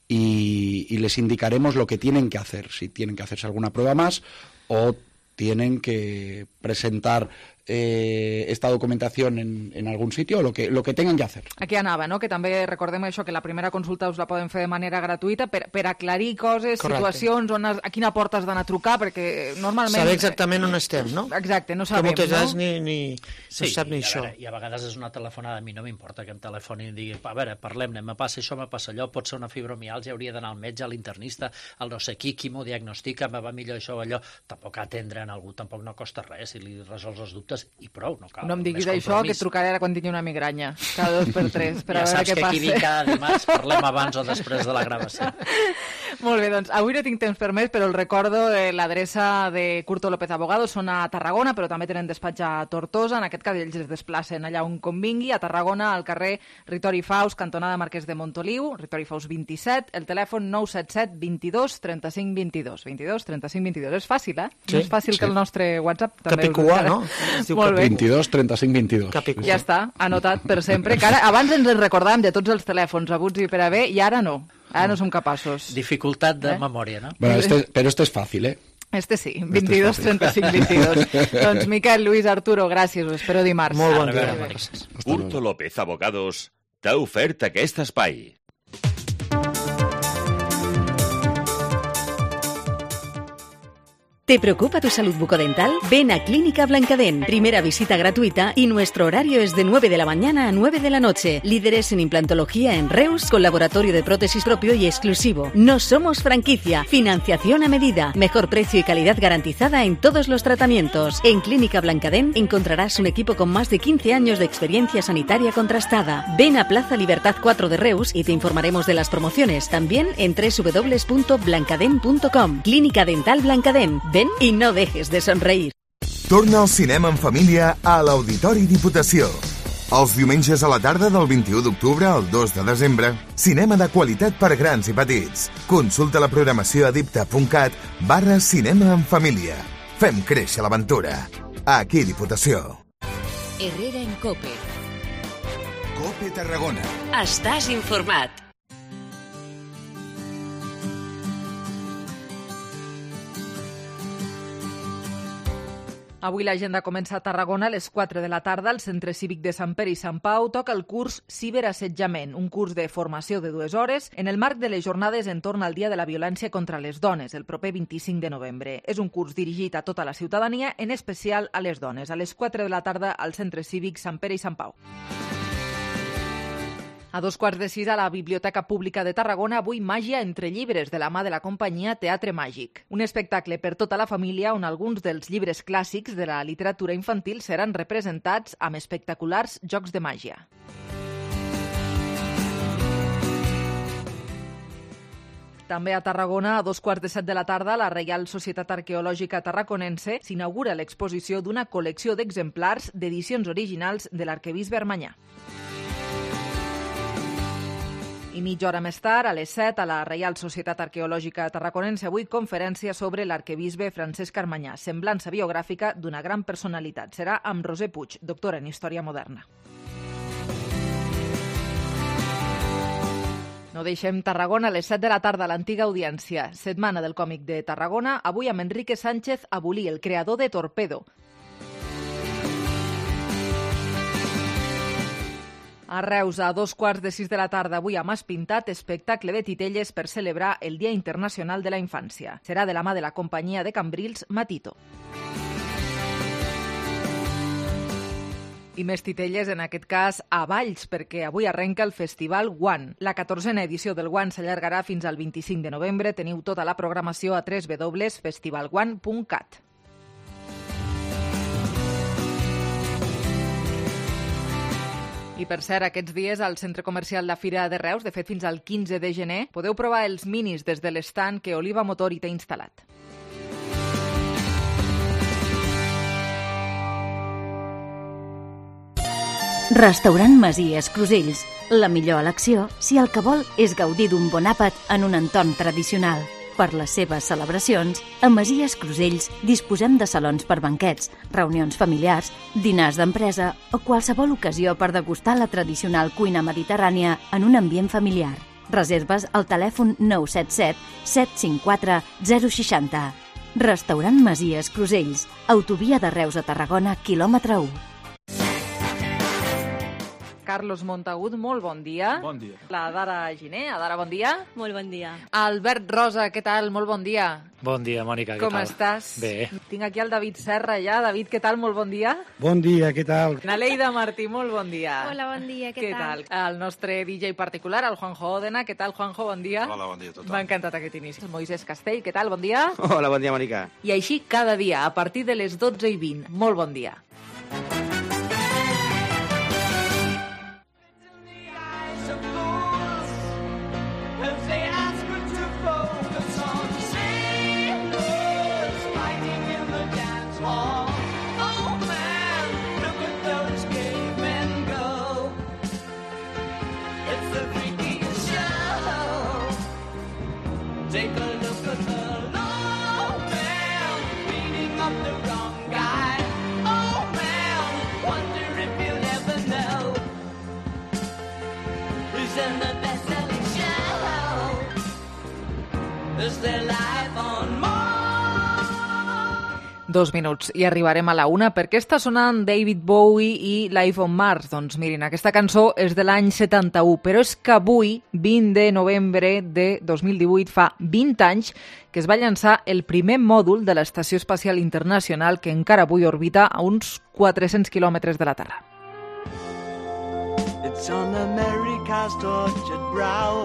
y, y les indicaremos lo que tienen que hacer, si tienen que hacerse alguna prueba más o tienen que presentar eh, esta documentación en, en algun sitio o lo que, lo que tengan que hacer. Aquí anava, no? Que també recordem això, que la primera consulta us la poden fer de manera gratuïta per, per aclarir coses, correcte, situacions, on has, a quina porta has d'anar a trucar, perquè normalment... Saber exactament on estem, no? Exacte, no sabem, que moltes no? Ni, ni, sí, no sap ni i això. Veure, I a vegades és una telefonada, a mi no m'importa que em telefonin i digui, a veure, parlem-ne, me passa això, me passa allò, pot ser una fibromiàlgia, hauria d'anar al metge, a l'internista, al no sé qui, qui m'ho diagnostica, me va millor això o allò, tampoc atendre en algú, tampoc no costa res, si li resols els dubtes i prou, no cal. No em diguis això, que trucaré ara quan tingui una migranya, cada dos per tres, per ja a veure què passa. Ja saps que aquí dic cada dimarts, parlem abans o després de la gravació. Molt bé, doncs avui no tinc temps per més, però el recordo, eh, l'adreça de Curto López Abogados són a Tarragona, però també tenen despatx a Tortosa, en aquest cas ells es desplacen allà on convingui, a Tarragona, al carrer Ritori Faus, cantonada Marquès de Montoliu, Ritori Faus vint-i-set, el telèfon nou set set vint-i-dos trenta-cinc vint-i-dos, vint-i-dos trenta-cinc vint-i-dos. És fàcil, eh? Sí, no és fàcil sí. que el nostre WhatsApp també... Capicua, no? Molt bé. vint-i-dos trenta-cinc vint-i-dos. Capicua. Ja està, anotat per sempre. Que ara, abans ens en recordàvem de tots els telèfons abuts i per haver, i ara no. Ara no som capaços. Dificultat de eh? memòria, no? Bueno, este, pero este es fácil, ¿eh? Este sí, vint-i-dos trenta-cinc vint-i-dos. Doncs Miquel, Luis, Arturo, gràcies, us espero dimarts. Molt bon dia. Curto López Abogados t'ha ofert aquest espai. ¿Te preocupa tu salud bucodental? Ven a Clínica Blancadén. Primera visita gratuita y nuestro horario es de nueve de la mañana a nueve de la noche. Líderes en implantología en Reus, con laboratorio de prótesis propio y exclusivo. No somos franquicia. Financiación a medida. Mejor precio y calidad garantizada en todos los tratamientos. En Clínica Blancadén encontrarás un equipo con más de quince años de experiencia sanitaria contrastada. Ven a Plaza Libertad cuatro de Reus y te informaremos de las promociones. También en doble u doble u doble u punto blancadén punto com. Clínica Dental Blancadén. Ven i no dejes de somreír. Torna al cinema en família a l'Auditori Diputació. Els diumenges a la tarda del vint-i-u d'octubre al dos de desembre, cinema de qualitat per grans i petits. Consulta la programació a dipta.cat barra cinema en família. Fem créixer l'aventura. Aquí Diputació. Herrera en Cope. Cope Tarragona. Estàs informat. Avui l'agenda comença a Tarragona a les quatre de la tarda. Al Centre Cívic de Sant Pere i Sant Pau toca el curs Ciberassetjament, un curs de formació de dues hores en el marc de les jornades entorn al Dia de la Violència contra les Dones, el proper vint-i-cinc de novembre. És un curs dirigit a tota la ciutadania, en especial a les dones. A les quatre de la tarda al Centre Cívic Sant Pere i Sant Pau. A dos quarts de sis a la Biblioteca Pública de Tarragona, avui Màgia entre llibres, de la mà de la companyia Teatre Màgic. Un espectacle per tota la família on alguns dels llibres clàssics de la literatura infantil seran representats amb espectaculars jocs de màgia. També a Tarragona, a dos quarts de set de la tarda, la Reial Societat Arqueològica Tarraconense s'inaugura l'exposició d'una col·lecció d'exemplars d'edicions originals de l'arquebisbe Armanyà. I mitja hora més tard, a les set, a la Reial Societat Arqueològica Tarraconense, avui conferència sobre l'arquebisbe Francesc Armanyà, semblança biogràfica d'una gran personalitat. Serà amb Roser Puig, doctora en Història Moderna. No deixem Tarragona a les set de la tarda a l'antiga audiència. Setmana del còmic de Tarragona, avui amb Enrique Sánchez Abulí, el creador de Torpedo. A Reus, a dos quarts de sis de la tarda, avui a Mas Pintat, espectacle de titelles per celebrar el Dia Internacional de la Infància. Serà de la mà de la companyia de Cambrils Matito. I més titelles, en aquest cas, a Valls, perquè avui arrenca el Festival One. La catorzena edició del One s'allargarà fins al vint-i-cinc de novembre. Teniu tota la programació a w w w punt festival one punt cat. I per cert, aquests dies al Centre Comercial La Fira de Reus, de fet fins al quinze de gener, podeu provar els minis des de l'estand que Oliva Motor hi té instal·lat. Restaurant Masies Crusells. La millor elecció si el que vol és gaudir d'un bon àpat en un entorn tradicional. Per les seves celebracions, a Masies Crusells disposem de salons per banquets, reunions familiars, dinars d'empresa o qualsevol ocasió per degustar la tradicional cuina mediterrània en un ambient familiar. Reserves al telèfon nou set set set cinc quatre zero sis zero. Restaurant Masies Crusells, autovia de Reus a Tarragona, quilòmetre u. Carlos Montagut, molt bon dia. Bon dia. La Dara Giner, Adara, bon dia. Molt bon dia. Albert Rosa, què tal? Molt bon dia. Bon dia, Mònica, què Com tal? estàs? Bé. Tinc aquí el David Serra ja. David, què tal? Molt bon dia. Bon dia, què tal? Naleida Martí, molt bon dia. Hola, bon dia, què, Què tal? El nostre D J particular, el Juanjo Òdena. Què tal, Juanjo? Bon dia. Hola, bon dia a tothom. M'ha encantat aquest inici. El Moisés Castell, què tal? Bon dia. Hola, bon dia, Mònica. I així cada dia, a partir de les dotze i vint. Molt bon dia. Take a look at the low man beating up the wrong guy. Oh man, wonder if you'll ever know who's in the best-selling show. Is their life on Mars? Dos minuts i arribarem a la una. Per què està sonant David Bowie i Life on Mars? Doncs mirin, aquesta cançó és de l'any setanta-u, però és que avui, vint de novembre de dos mil divuit, fa vint anys que es va llançar el primer mòdul de l'Estació Espacial Internacional que encara avui orbita a uns quatre-cents quilòmetres de la Terra. It's on America's tortured brow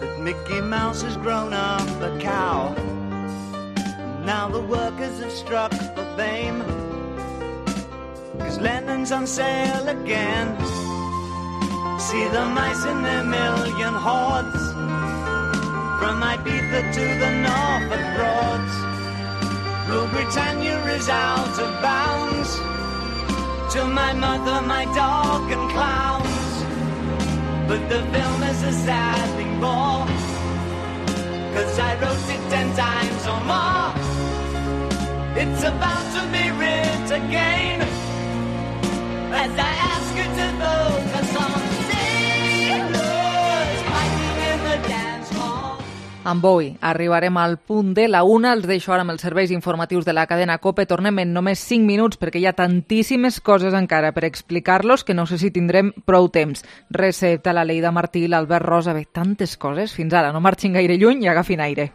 that Mickey Mouse has grown up a cow. Now the workers have struck for fame, 'cause Lennon's on sale again. See the mice in their million hordes, from Ibiza to the Norfolk Broads. Rule Britannia is out of bounds, to my mother, my dog and clowns. But the film is a sad thing more, 'cause I wrote it ten times or more. It's about to be writ again, as I ask you to focus on sailors fighting in the dance hall. Amb Bowie arribarem al punt de la una. Els deixo ara amb els serveis informatius de la cadena COPE. Tornem en només cinc minuts perquè hi ha tantíssimes coses encara per explicar-los que no sé si tindrem prou temps. Recepta, la Leida Martí, l'Albert Rosa, bé, tantes coses. Fins ara, no marxin gaire lluny i agafin aire.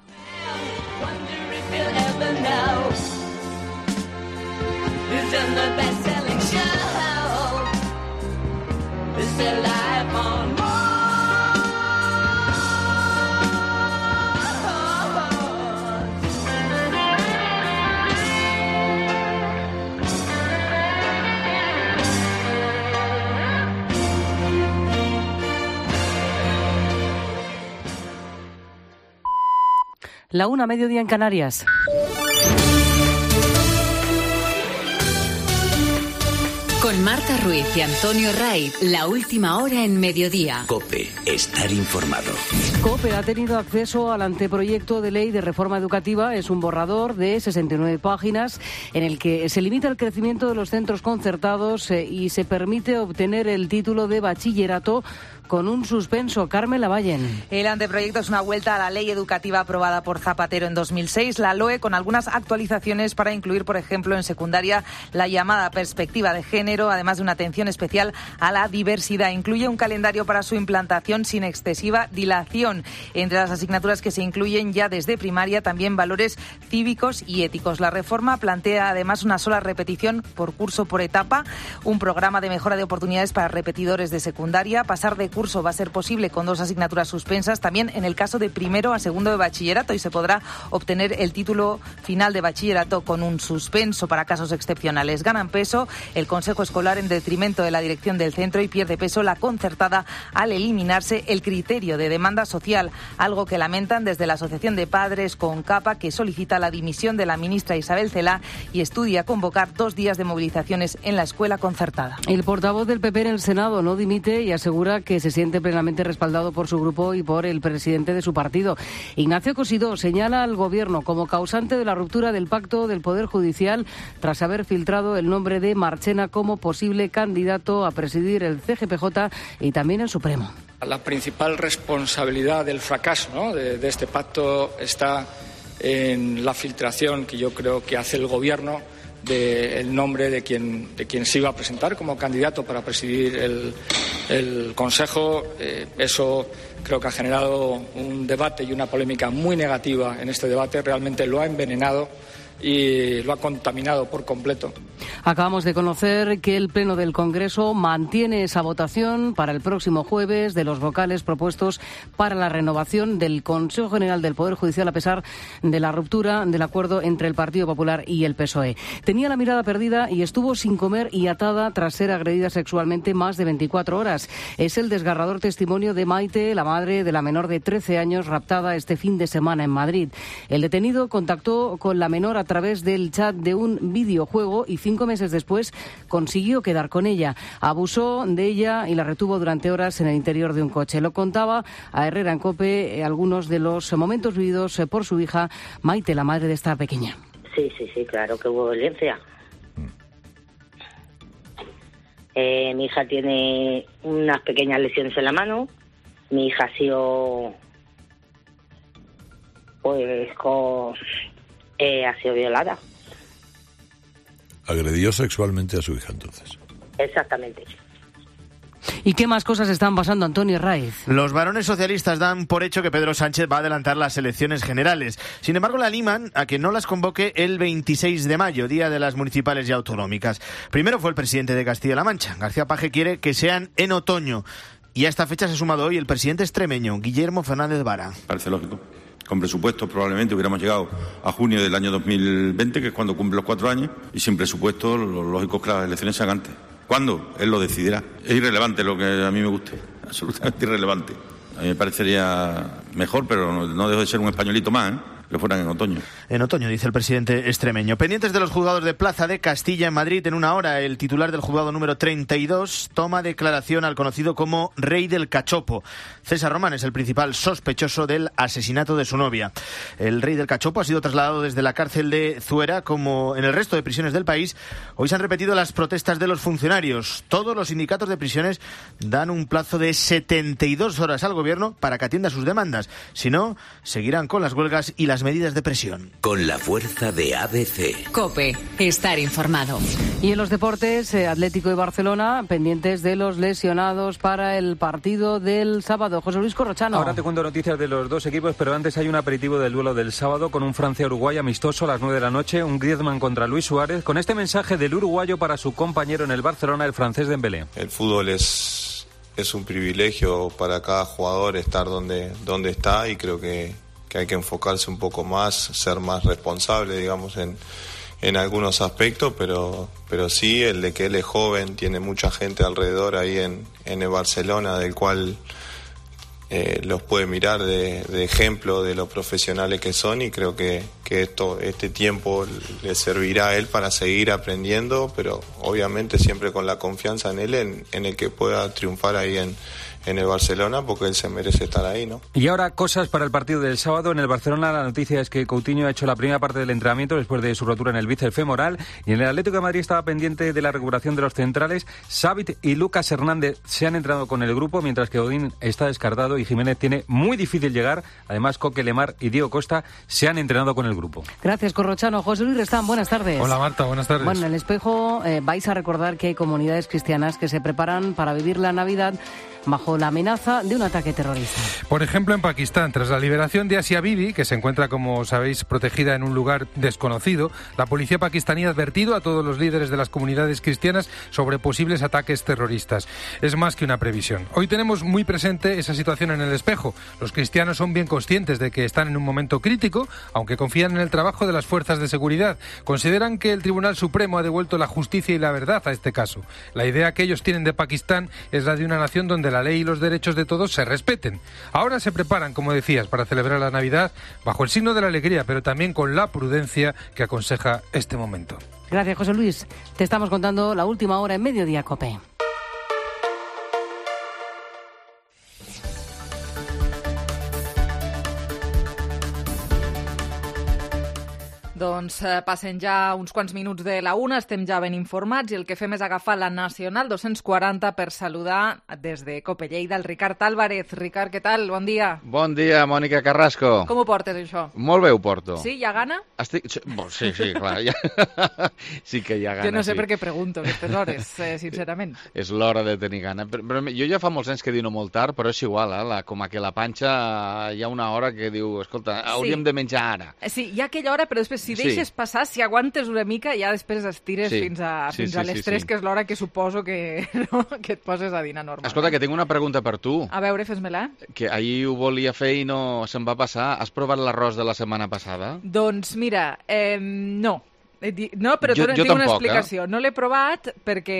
Who's in the best-selling show? Is their life on Mars? La una, mediodía en Canarias. Con Marta Ruiz y Antonio Ray, la última hora en mediodía. COPE, estar informado. COPE ha tenido acceso al anteproyecto de ley de reforma educativa. Es un borrador de sesenta y nueve páginas en el que se limita el crecimiento de los centros concertados eh, y se permite obtener el título de bachillerato con un suspenso. Carmen Lavallen. El anteproyecto es una vuelta a la ley educativa aprobada por Zapatero en dos mil seis, la L O E, con algunas actualizaciones para incluir, por ejemplo, en secundaria la llamada perspectiva de género primero, además de una atención especial a la diversidad. Incluye un calendario para su implantación sin excesiva dilación. Entre las asignaturas que se incluyen ya desde primaria, también valores cívicos y éticos. La reforma plantea además una sola repetición por curso por etapa, un programa de mejora de oportunidades para repetidores de secundaria. Pasar de curso va a ser posible con dos asignaturas suspensas, también en el caso de primero a segundo de bachillerato, y se podrá obtener el título final de bachillerato con un suspenso para casos excepcionales. Ganan peso el Consejo Escolar en detrimento de la dirección del centro y pierde peso la concertada al eliminarse el criterio de demanda social, algo que lamentan desde la Asociación de Padres CONCAPA, que solicita la dimisión de la ministra Isabel Celaá y estudia convocar dos días de movilizaciones en la escuela concertada. El portavoz del P P en el Senado no dimite y asegura que se siente plenamente respaldado por su grupo y por el presidente de su partido. Ignacio Cosidó señala al Gobierno como causante de la ruptura del pacto del Poder Judicial tras haber filtrado el nombre de Marchena como posible candidato a presidir el C G P J y también el Supremo. La principal responsabilidad del fracaso, ¿no?, de, de este pacto está en la filtración que yo creo que hace el Gobierno del nombre de quien, de quien se iba a presentar como candidato para presidir el, el Consejo. Eh, eso creo que ha generado un debate y una polémica muy negativa en este debate. Realmente lo ha envenenado y lo ha contaminado por completo. Acabamos de conocer que el Pleno del Congreso mantiene esa votación para el próximo jueves de los vocales propuestos para la renovación del Consejo General del Poder Judicial, a pesar de la ruptura del acuerdo entre el Partido Popular y el P S O E. Tenía la mirada perdida y estuvo sin comer y atada tras ser agredida sexualmente más de veinticuatro horas. Es el desgarrador testimonio de Maite, la madre de la menor de trece años raptada este fin de semana en Madrid. El detenido contactó con la menor a través del chat de un videojuego y cinco meses después consiguió quedar con ella. Abusó de ella y la retuvo durante horas en el interior de un coche. Lo contaba a Herrera en COPE eh, algunos de los momentos vividos eh, por su hija Maite, la madre de esta pequeña. Sí, sí, sí, claro que hubo violencia. Eh, mi hija tiene unas pequeñas lesiones en la mano. Mi hija ha sido, pues, con, eh, ha sido violada. Agredió sexualmente a su hija, entonces. Exactamente. ¿Y qué más cosas están pasando, Antonio Raiz? Los varones socialistas dan por hecho que Pedro Sánchez va a adelantar las elecciones generales. Sin embargo, le animan a que no las convoque el veintiséis de mayo, día de las municipales y autonómicas. Primero fue el presidente de Castilla-La Mancha. García Paje quiere que sean en otoño. Y a esta fecha se ha sumado hoy el presidente extremeño, Guillermo Fernández Vara. Parece lógico. Con presupuesto probablemente hubiéramos llegado a junio del año dos mil veinte, que es cuando cumple los cuatro años, y sin presupuesto lo lógico es que las elecciones se hagan antes. ¿Cuándo? Él lo decidirá. Es irrelevante lo que a mí me guste, absolutamente irrelevante. A mí me parecería mejor, pero no, no dejo de ser un españolito más, ¿eh?, que fueran en otoño. En otoño, dice el presidente extremeño. Pendientes de los juzgados de Plaza de Castilla en Madrid, en una hora el titular del juzgado número treinta y dos toma declaración al conocido como Rey del Cachopo. César Román es el principal sospechoso del asesinato de su novia. El Rey del Cachopo ha sido trasladado desde la cárcel de Zuera. Como en el resto de prisiones del país, hoy se han repetido las protestas de los funcionarios. Todos los sindicatos de prisiones dan un plazo de setenta y dos horas al gobierno para que atienda sus demandas. Si no, seguirán con las huelgas y las medidas de presión. Con la fuerza de A B C. COPE. Estar informado. Y en los deportes, eh, Atlético y Barcelona pendientes de los lesionados para el partido del sábado. José Luis Corrochano. Ahora te cuento noticias de los dos equipos, pero antes hay un aperitivo del duelo del sábado con un Francia-Uruguay amistoso a las nueve de la noche, un Griezmann contra Luis Suárez, con este mensaje del uruguayo para su compañero en el Barcelona, el francés Dembélé. El fútbol es, es un privilegio para cada jugador estar donde, donde está, y creo que que hay que enfocarse un poco más, ser más responsable, digamos, en, en algunos aspectos, pero, pero sí, el de que él es joven, tiene mucha gente alrededor ahí en, en el Barcelona, del cual eh, los puede mirar de, de ejemplo de los profesionales que son, y creo que, que esto, este tiempo le servirá a él para seguir aprendiendo, pero obviamente siempre con la confianza en él, en, en el que pueda triunfar ahí en en el Barcelona, porque él se merece estar ahí, ¿no? Y ahora cosas para el partido del sábado. En el Barcelona la noticia es que Coutinho ha hecho la primera parte del entrenamiento después de su rotura en el bíceps femoral, y en el Atlético de Madrid estaba pendiente de la recuperación de los centrales. Xavi y Lucas Hernández se han entrenado con el grupo, mientras que Godín está descartado y Jiménez tiene muy difícil llegar. Además, Coque, Lemar y Diego Costa se han entrenado con el grupo. grupo. Gracias, Corrochano. José Luis Restán, buenas tardes. Hola, Marta, buenas tardes. Bueno, en el espejo eh, vais a recordar que hay comunidades cristianas que se preparan para vivir la Navidad bajo la amenaza de un ataque terrorista. Por ejemplo, en Pakistán, tras la liberación de Asia Bibi, que se encuentra, como sabéis, protegida en un lugar desconocido, la policía pakistaní ha advertido a todos los líderes de las comunidades cristianas sobre posibles ataques terroristas. Es más que una previsión. Hoy tenemos muy presente esa situación en el espejo. Los cristianos son bien conscientes de que están en un momento crítico, aunque confían en el trabajo de las fuerzas de seguridad. Consideran que el Tribunal Supremo ha devuelto la justicia y la verdad a este caso. La idea que ellos tienen de Pakistán es la de una nación donde la ley y los derechos de todos se respeten. Ahora se preparan, como decías, para celebrar la Navidad bajo el signo de la alegría, pero también con la prudencia que aconseja este momento. Gracias, José Luis. Te estamos contando la última hora en Mediodía COPE. Doncs eh, passen ja uns quants minuts de la una, estem ja ben informats i el que fem és agafar la Nacional dos-cents quaranta per saludar des de Cope Lleida el Ricard Álvarez. Ricard, què tal? Bon dia. Bon dia, Mònica Carrasco. Com ho portes, això? Molt bé ho porto. Sí, hi ha gana? Estic... Sí, sí, clar. Ja... sí que hi ha gana, Jo no sé sí. per què pregunto aquestes hores, eh, sincerament. És l'hora de tenir gana. Però, però jo ja fa molts anys que dino molt tard, però és igual, eh? La, com a que la panxa hi ha una hora que diu, escolta, hauríem sí. de menjar ara. Sí, hi ha aquella hora, però després si deixes sí. passar, si aguantes una mica, ja després estires sí. fins a, sí, fins sí, a les sí, tres, sí. que és l'hora que suposo que, no? que et poses a dinar normal. Escolta, que tinc una pregunta per tu. A veure, fes-me-la. Que ahir ho volia fer i no se'm va passar. Has provat l'arròs de la setmana passada? Doncs mira, eh, no. No, però jo, tinc jo una tampoc, explicació. Eh? No l'he provat perquè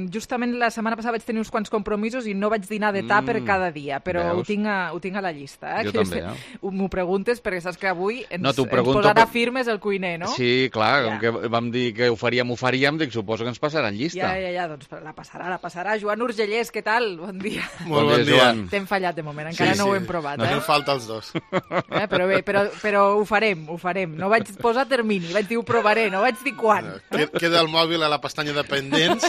justament la setmana passada vaig tenir uns quants compromisos i no vaig dinar de tàper mm, cada dia, però ho tinc, a, ho tinc a la llista. Eh? Jo que també, eh? M'ho preguntes perquè saps que avui ens, no, ens posarà per... firmes el cuiner, no? Sí, clar, ja. com que vam dir que ho faríem, ho faríem, dic, suposo que ens passaran llista. Ja, ja, ja, doncs la passarà, la passarà. Joan Urgellès, què tal? Bon dia. Molt bon dia. T'hem fallat de moment, encara sí, no sí. ho hem provat. No eh? ens falta els dos. Eh, però bé, però, però ho farem, ho farem. No vaig posar termini, vaig dir ho provaré, no vaig dir quan. Queda el mòbil a la pestanya de pendents,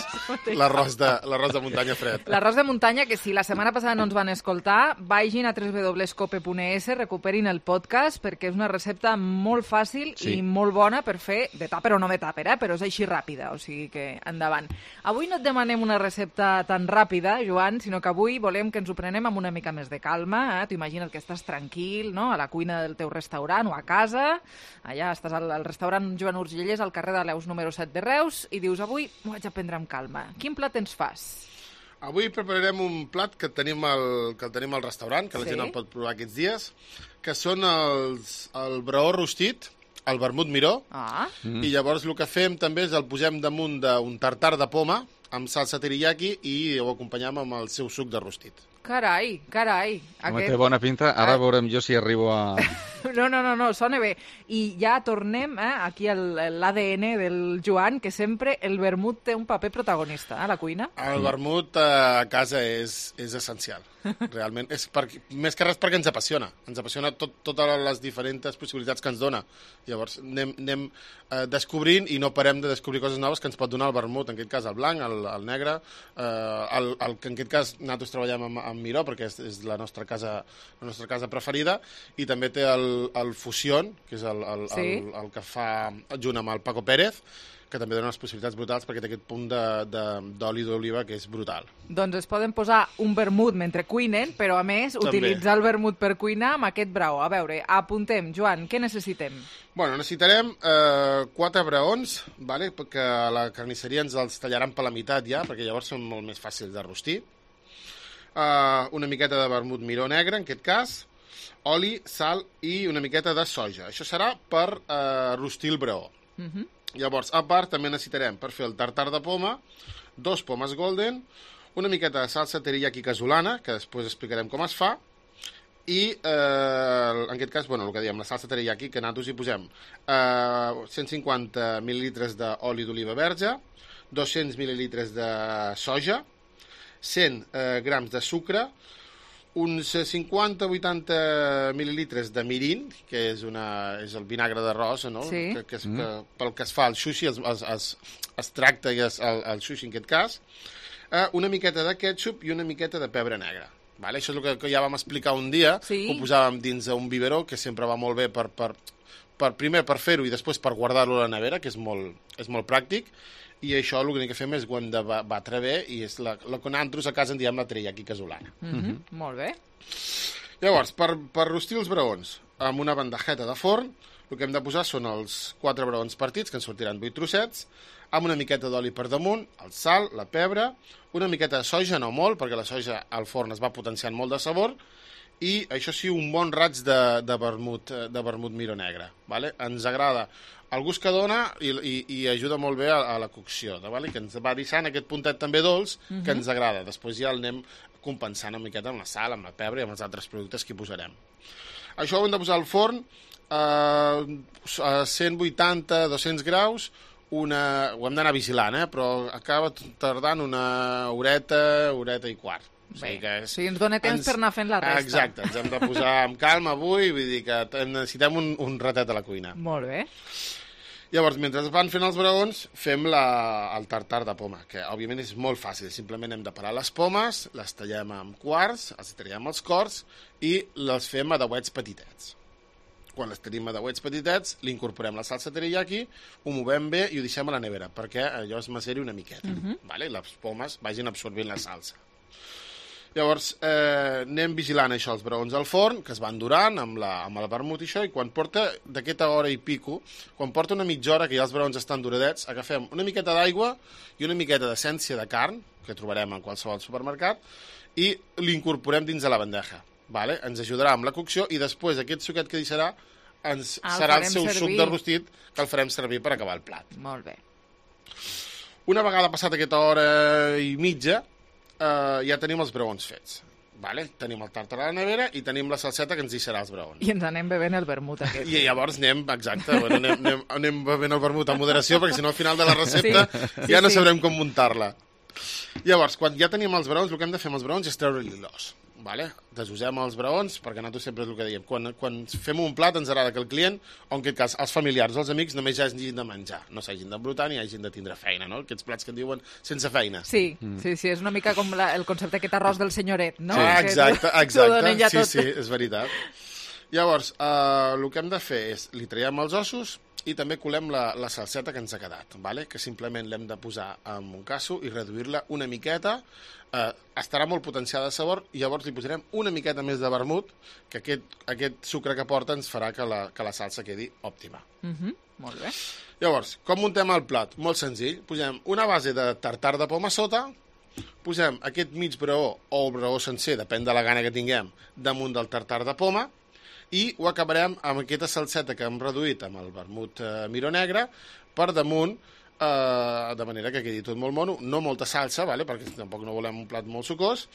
l'arròs de, l'arròs de muntanya fred. L'arròs de muntanya, que si la setmana passada no ens van escoltar, vagin a w w w punt cope punt e s, recuperin el podcast, perquè és una recepta molt fàcil sí. i molt bona per fer de tàper o no de tàper, eh? Però és així ràpida, o sigui que endavant. Avui no et demanem una recepta tan ràpida, Joan, sinó que avui volem que ens ho prenem amb una mica més de calma. Eh? T'ho imagina't que estàs tranquil, no?, a la cuina del teu restaurant o a casa. Allà estàs al, al restaurant Joan Urgellès, al carrer de Leus número set de Reus, i dius, avui m'ho haig de prendre amb calma. Quin plat ens fas? Avui prepararem un plat que tenim al, que el tenim al restaurant, que la sí? gent el pot provar aquests dies, que són els, el braó rostit, el vermut miró, ah. mm. i llavors el que fem també és el posem damunt d'un tartar de poma amb salsa teriyaki i ho acompanyem amb el seu suc de rostit. Carai, carai. Home, aquest... té bona pinta. Ara ah. veurem jo si arribo a... No, no, no, no, sona bé. I ja tornem eh, aquí a l'A D N del Joan, que sempre el vermut té un paper protagonista a eh, la cuina. El vermut a casa és, és essencial, realment. És per, més que res perquè ens apassiona. Ens apassiona tot, totes les diferents possibilitats que ens dona. Llavors anem, anem eh, descobrint i no parem de descobrir coses noves que ens pot donar el vermut, en aquest cas el blanc, el, el negre, eh, el, el que en aquest cas nosaltres treballem amb, amb Miró, perquè és, és la, nostra casa, la nostra casa preferida, i també té el, el Fusión, que és el, el, sí. el, el que fa junt amb el Paco Pérez, que també dona unes possibilitats brutals perquè té aquest punt d'oli d'oliva que és brutal. Doncs es poden posar un vermut mentre cuinen, però a més també. Utilitzar el vermut per cuinar amb aquest braó. A veure, apuntem, Joan, què necessitem? Bueno, necessitarem eh, quatre braons, vale? Perquè a la carnisseria ens els tallaran per la meitat ja, perquè llavors són molt més fàcils de rostir. Uh, una miqueta de vermut miró negre, en aquest cas, oli, sal i una miqueta de soja. Això serà per uh, rostir el braó. Uh-huh. Llavors, a part, també necessitarem per fer el tartar de poma, dos pomes golden, una miqueta de salsa teriyaki casolana, que després explicarem com es fa, i eh, en aquest cas, bueno, el que diem, la salsa teriyaki, que nosaltres hi posem eh, cent cinquanta mil·lilitres d'oli d'oliva verge, dos-cents mil·lilitres de soja, cent eh, grams de sucre, uns cinquanta a vuitanta mil·lilitres de mirin, que és, una, és el vinagre d'arròs, no? Sí. que, que, és, mm. que pel que es fa el sushi, es, es, es, es tracta i es, el, el sushi en aquest cas, eh, una miqueta de ketchup i una miqueta de pebre negre. Vale? Això és el que, que ja vam explicar un dia, sí. Ho posàvem dins un biberó, que sempre va molt bé per, per, per, primer per fer-ho i després per guardar-lo a la nevera, que és molt, és molt pràctic, i això l'únic que fem és guant de batre bé, i és la, la que nosaltres a casa en diem la teriyaki casolana. Mm -hmm. Molt bé. Llavors, per, per rostir els braons amb una bandejeta de forn, el que hem de posar són els quatre braons partits, que en sortiran vuit trossets, amb una miqueta d'oli per damunt, el sal, la pebre, una miqueta de soja, no molt, perquè la soja al forn es va potenciant molt de sabor, i això sí, un bon raig de, de, vermut, de vermut miró negre. Vale? Ens agrada el gust que dona i, i, i ajuda molt bé a, a la cocció, vale? Que ens va deixant aquest puntet també dolç que uh-huh. ens agrada. Després ja el anem compensant una miqueta amb la sal, amb la pebre i amb els altres productes que hi posarem. Això ho hem de posar al forn eh, a cent vuitanta a dos-cents graus, una... ho hem d'anar vigilant, eh? Però acaba tardant una horeta, horeta i quart. O sigui que és... Sí, ens dona temps ens... per anar fent la resta. Exacte, ens hem de posar amb calma avui, vull dir que necessitem un, un ratet a la cuina. Molt bé. Llavors, mentre es van fent els braons, fem la, el tartar de poma, que òbviament és molt fàcil. Simplement hem de parar les pomes, les tallem amb quarts, els tallem els cors i les fem a dauets petitets. Quan les tenim a dauets petitets, li incorporem la salsa teriyaki, ho movem bé i ho deixem a la nevera, perquè allò es maceri una miqueta, uh-huh. vale? I les pomes vagin absorbint la salsa. Llavors, eh, anem vigilant això, els braons al forn, que es van durant amb, la, amb el vermut i això, i quan porta d'aquesta hora i pico, quan porta una mitja hora que ja els braons estan duradets, agafem una miqueta d'aigua i una miqueta d'essència de carn, que trobarem en qualsevol supermercat, i l'incorporem dins de la bandeja. Vale? Ens ajudarà amb la cocció i després aquest suquet que deixarà ens ah, serà el seu servir. suc de rostit que el farem servir per acabar el plat. Molt bé. Una vegada passat aquesta hora i mitja, Uh, ja tenim els braons fets. Vale? Tenim el tartar a la nevera i tenim la salseta que ens deixarà els braons. I ens anem bevent el vermut aquest. I llavors anem, exacte, bueno, anem, anem, anem bevent el vermut amb moderació perquè si no al final de la recepta sí, sí, ja no sí. sabrem com muntar-la. Llavors, quan ja tenim els braons, el que hem de fer amb els braons és treure-li l'os. Vale? Desusem els braons, perquè nosaltres sempre és el que dèiem. Quan, quan fem un plat ens agrada que el client, o en aquest cas els familiars o els amics, només ja hagin de menjar, no s'hagin d'embrutar ni hagin de tindre feina, no? Aquests plats que en diuen sense feina. Sí, mm. sí, sí, és una mica com la, el concepte aquest arròs del senyoret, no? Sí, exacte, exacte, sí, sí, és veritat. Llavors, eh, el que hem de fer és, li traiem els ossos i també colem la, la salseta que ens ha quedat, vale? Que simplement l'hem de posar en un casso i reduir-la una miqueta. Eh, estarà molt potenciada de sabor i llavors li posarem una miqueta més de vermut, que aquest, aquest sucre que porta ens farà que la, que la salsa quedi òptima. Mm-hmm. Molt bé. Llavors, com muntem el plat? Molt senzill. Posem una base de tartar de poma sota, posem aquest mig braó o el braó sencer, depèn de la gana que tinguem, damunt del tartar de poma, i ho acabarem amb aquesta salseta que hem reduït amb el vermut eh, miró negre per damunt, eh, de manera que quedi tot molt mono, no molta salsa, vale? Perquè tampoc no volem un plat molt sucós,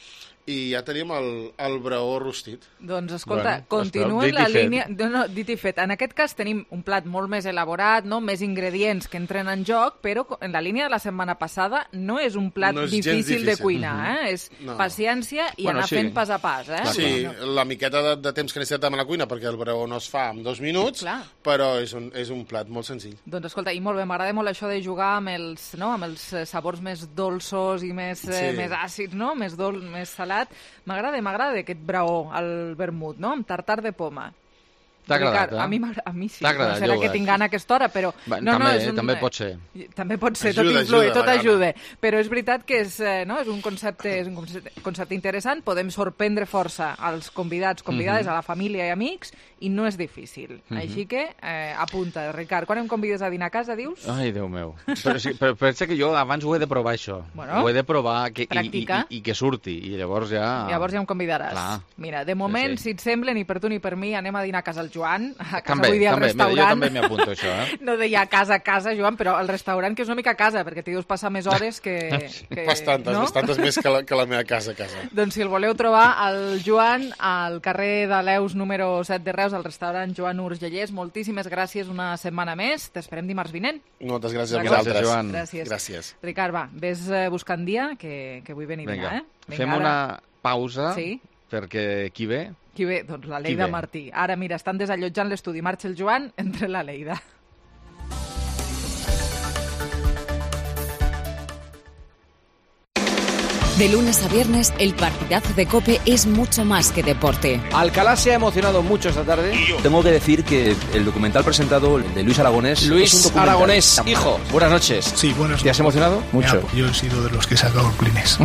i ja tenim el, el braó rostit. Doncs escolta, bueno, continua la línia... No, no, dit i fet. En aquest cas tenim un plat molt més elaborat, no? Més ingredients que entren en joc, però en la línia de la setmana passada no és un plat no és difícil, difícil de cuinar, uh-huh. eh? És no. paciència i bueno, anar sí. fent pas a pas, eh? Sí, no. la miqueta de, de temps que necessitem a la cuina, perquè el braó no es fa en dos minuts, Clar. però és un, és un plat molt senzill. Doncs escolta, i molt bé, m'agrada molt això de jugar amb els, no? amb els sabors més dolços i més, sí. eh, més àcids, no? Més dol, més salat. M'agrada, m'agrada aquest braó, el vermut, no? Amb tartar de poma. T'ha agradat, eh? A mi, a mi sí. T'ha agradat, no serà que tinc gana a aquesta hora, però... Va, no, també, no, és un... també pot ser. També pot ser, ajuda, tot influi, ajuda, tot ajuda. Però és veritat que és, no, és un concepte, és un concepte interessant, podem sorprendre força als convidats, convidades, uh-huh. a la família i amics, i no és difícil. Uh-huh. Així que, eh, apunta, Ricard, quan em convides a dinar a casa, dius? Ai, Déu meu. Però, sí, però pensa que jo abans ho he de provar, això. Bueno, ho he de provar que, i, i, i, i que surti, i llavors ja... Llavors ja em convidaràs. Clar. Mira, de moment, sí, sí. si et sembla, ni per tu ni per mi, anem a dinar a casa el Joan, a casa també, vull dir al també, restaurant. Mira, jo també m'hi apunto, això, eh? No deia casa a casa, Joan, però el restaurant, que és una mica casa, perquè t'hi deus passar més hores que... que bastantes, no? bastantes més que la, que la meva casa a casa. Doncs si el voleu trobar, el Joan, al carrer de Leus número set de Reus, al restaurant Joan Urgellers, moltíssimes gràcies una setmana més. T'esperem dimarts vinent. Moltes gràcies a vosaltres. Gràcies, Joan. Gràcies. Gràcies. Ricard, va, ves buscant dia, que, que vull venir a dinar, eh? Vinga, fem ara... una pausa, sí? perquè qui ve? Qui ve? Doncs la Leida Martí. Ara, mira, estan desallotjant l'estudi. Marxa el Joan, entre la Leida. De lunes a viernes, el partidazo de COPE es mucho más que deporte. Alcalá se ha emocionado mucho esta tarde. Tengo que decir que el documental presentado de Luis Aragonés... Luis es un documental. Aragonés, hijo, buenas noches. Sí, buenas noches. ¿Te has emocionado? Mucho. Ya, yo he sido de los que he sacado clines.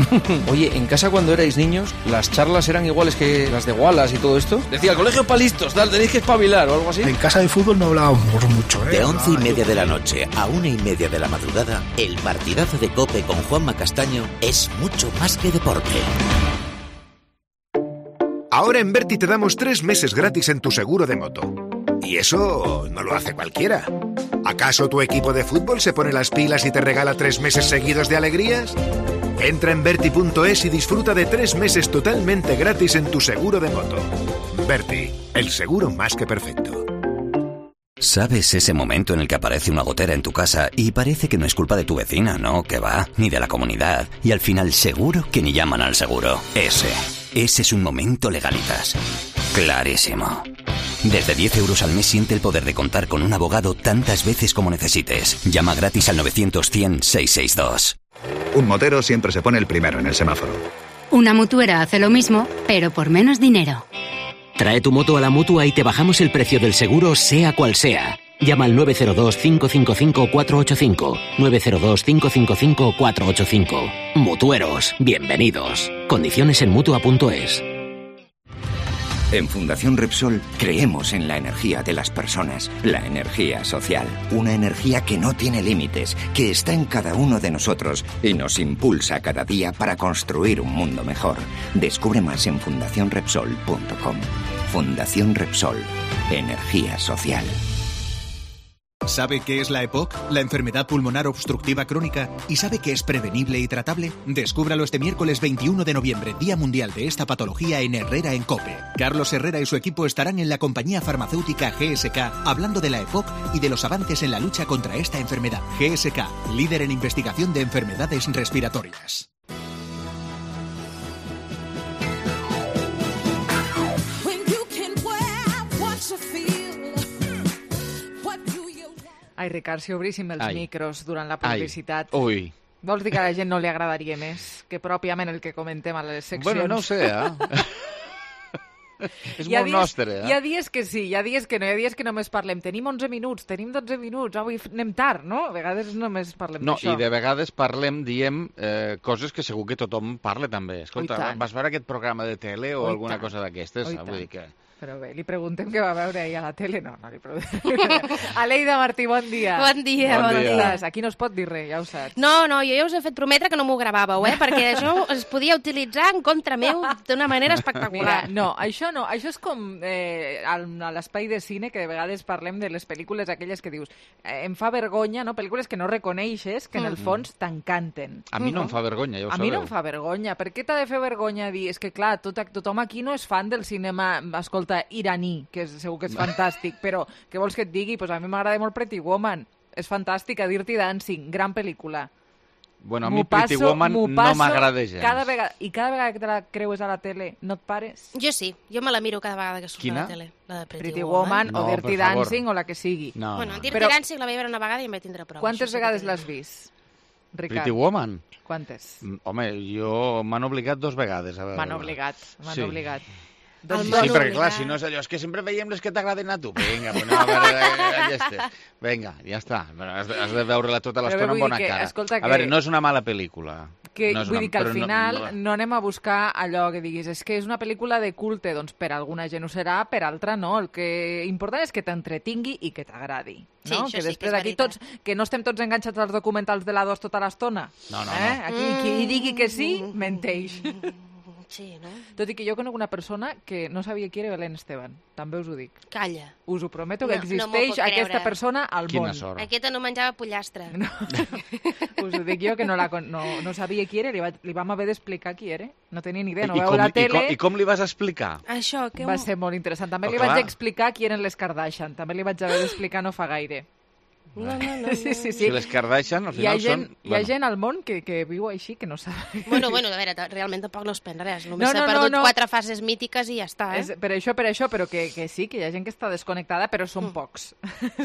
Oye, en casa cuando erais niños, ¿las charlas eran iguales que las de Wallace y todo esto? Decía, el colegio para listos, tal, tenéis que espabilar o algo así. En casa de fútbol no hablábamos mucho, ¿eh? De once y media de la noche a una y media de la madrugada, el partidazo de COPE con Juanma Castaño es mucho más que deporte. Ahora en Berti te damos tres meses gratis en tu seguro de moto. Y eso no lo hace cualquiera. ¿Acaso tu equipo de fútbol se pone las pilas y te regala tres meses seguidos de alegrías? Entra en Berti punto es y disfruta de tres meses totalmente gratis en tu seguro de moto. Berti, el seguro más que perfecto. ¿Sabes ese momento en el que aparece una gotera en tu casa y parece que no es culpa de tu vecina, no, que va, ni de la comunidad, y al final seguro que ni llaman al seguro? Ese, ese es un momento Legalitas. Clarísimo. Desde diez euros al mes siente el poder de contar con un abogado tantas veces como necesites. Llama gratis al novecientos cien seiscientos sesenta y dos. Un motero siempre se pone el primero en el semáforo. Una mutuera hace lo mismo, pero por menos dinero. Trae tu moto a la Mutua y te bajamos el precio del seguro sea cual sea. Llama al nueve cero dos, cinco cinco cinco, cuatro ocho cinco. nueve cero dos, cinco cinco cinco, cuatro ocho cinco. Mutueros, bienvenidos. Condiciones en Mutua punto es. En Fundación Repsol creemos en la energía de las personas, la energía social, una energía que no tiene límites, que está en cada uno de nosotros y nos impulsa cada día para construir un mundo mejor. Descubre más en fundación repsol punto com. Fundación Repsol, energía social. ¿Sabe qué es la EPOC, la enfermedad pulmonar obstructiva crónica? ¿Y sabe que es prevenible y tratable? Descúbralo este miércoles veintiuno de noviembre, Día Mundial de esta patología en Herrera en COPE. Carlos Herrera y su equipo estarán en la compañía farmacéutica G S K hablando de la EPOC y de los avances en la lucha contra esta enfermedad. G S K, líder en investigación de enfermedades respiratorias. Ai, Ricard, si obríssim els Ai. micros durant la publicitat... Ai. Ui. Vols dir que a la gent no li agradaria més que pròpiament el que comentem a les seccions? Bueno, no ho sé, eh? És molt dies, nostre, eh? Hi ha dies que sí, hi ha dies que no, hi ha dies que només parlem. Tenim onze minuts, tenim dotze minuts, avui anem tard, no? A vegades només parlem No, d'això. i de vegades parlem, diem, eh, coses que segur que tothom parla també. Escolta, vas veure aquest programa de tele o Oi alguna tant. cosa d'aquestes? Oi Vull dir que... Però bé, li preguntem què va veure ahir a la tele. No, no li preguntem. Aleida Martí, bon dia. Bon dia, bon, bon dia. Aquí no es pot dir res, ja ho saps. No, no, jo ja us he fet prometre que no m'ho gravàveu, eh? Perquè això es podia utilitzar en contra meu d'una manera espectacular. Mira, no, això no. Això és com eh, a l'espai de cine, que de vegades parlem de les pel·lícules aquelles que dius eh, em fa vergonya, no? Pel·lícules que no reconeixes, que en el fons t'encanten. A mi no em fa vergonya, ja ho a sabeu. A mi no em fa vergonya. Per què t'ha de fer vergonya dir... És que, clar, tot, tothom aquí no és fan del cinema, escolta, iraní, que és, segur que és fantàstic, però què vols que et digui? Pues a mi m'agrada molt Pretty Woman. És fantàstica, Dirty Dancing, gran pel·lícula. Bueno, a mi Pretty Woman no m'agrada gens. Cada vegada, I cada vegada que te la creues a la tele, no et pares? Jo sí, jo me la miro cada vegada que surt Quina? a la tele. La de Pretty, Pretty Woman. Woman o No, Dirty per favor. Dancing o la que sigui. No, Bueno, no. Dirty Però- Dancing la vaig veure una vegada i em vaig tindre prou. Quantes Això sí que vegades t'he l'has de dir. vist, Ricard? Pretty Woman? Quantes? Mm, Home, jo m'han obligat dos vegades a veure. M'han obligat, m'han Sí. obligat. Doncs Sí, m'han perquè obligat. clar, si no és allò, és que sempre veiem les que t'agraden a tu. Vinga, pues anem a veure ja està. Vinga, ja està. Però has, de, has de veure-la tota Però l'estona vull amb bona dir que, cara. escolta, A que- veure, no és una mala pel·lícula. Que, no és vull una, dir que al però final no, no, no. anem a buscar allò que diguis, és que és una pel·lícula de culte, doncs per alguna gent ho serà, per altra no. El que important és que t'entretingui i que t'agradi. Sí, No? això que sí que després és aquí veritat. tots, que no estem tots enganxats als documentals de la dos tota l'estona. No, no, eh? no. Aquí qui digui que sí, menteix. Sí, no? Tot i que jo conec una persona que no sabia qui era Belén Esteban. També us ho dic. Calla. Us ho prometo No, que no m'ho existeix puc creure. aquesta persona al Quina món. sort. Aquesta no menjava pollastre. No. Us ho dic jo, que no, la, con- no, no sabia qui era, li, va, li vam haver d'explicar qui era. No tenia ni idea, no I, veu com, la i, tele. com, I com li vas explicar? Això, que... Va ser molt interessant. També Oh, li clar. vaig explicar qui eren les Kardashian. També li vaig haver d'explicar no fa gaire. No, no, no, no. Sí, sí, sí. Si les Kardashian, al Hi ha final gent, són... hi ha gent al món que, que viu així, que no sap. Bueno, bueno, a veure, realment tampoc no es pen res. Només No, s'ha no, no, perdut no. quatre fases mítiques i ja està, eh? És, per això, per això, però que, que sí, que hi ha gent que està desconnectada, però són Mm. pocs.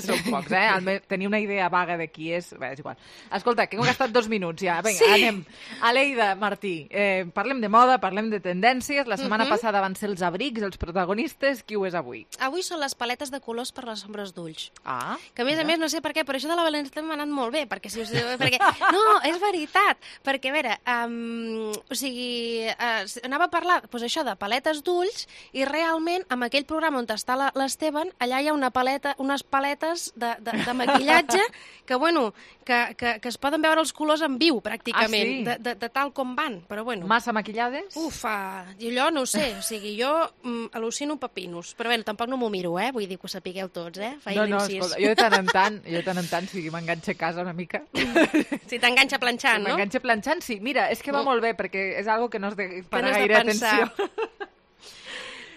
Són pocs, eh? Almenys tenir una idea vaga de qui és... Bé, és igual. Escolta, que hem gastat dos minuts ja. Vinga, Sí. anem. Aleida, Martí, eh, parlem de moda, parlem de tendències. La setmana Mhm. passada van ser els abrics, els protagonistes. Qui ho és avui? Avui són les paletes de colors per les ombres d'ulls. Ah, Que a més a més, no sé per què, però això de la València m'ha anat molt bé, perquè si us... perquè... No, és veritat, perquè a veure, um, o sigui, uh, anava a parlar, doncs això, de paletes d'ulls, i realment, amb aquell programa on està la- l'Esteban, allà hi ha una paleta, unes paletes de, de, de maquillatge que, bueno, que, que, que es poden veure els colors en viu, pràcticament, Ah, sí? de, de, de tal com van, però bueno. Massa maquillades? Ufa, i allò no ho sé, o sigui, jo mm, al·lucino pepinos, però bé, tampoc no m'ho miro, eh? Vull dir que ho sapigueu tots, eh? Faig No, no, l'incís. escolta, jo de tant en tant, jo de tant en tant, si m'enganxa a casa una mica. Si t'enganxa planxant, no? M'enganxa planxant, sí. Mira, és que va No. molt bé, perquè és algo que no has de parar no has de gaire pensar. atenció.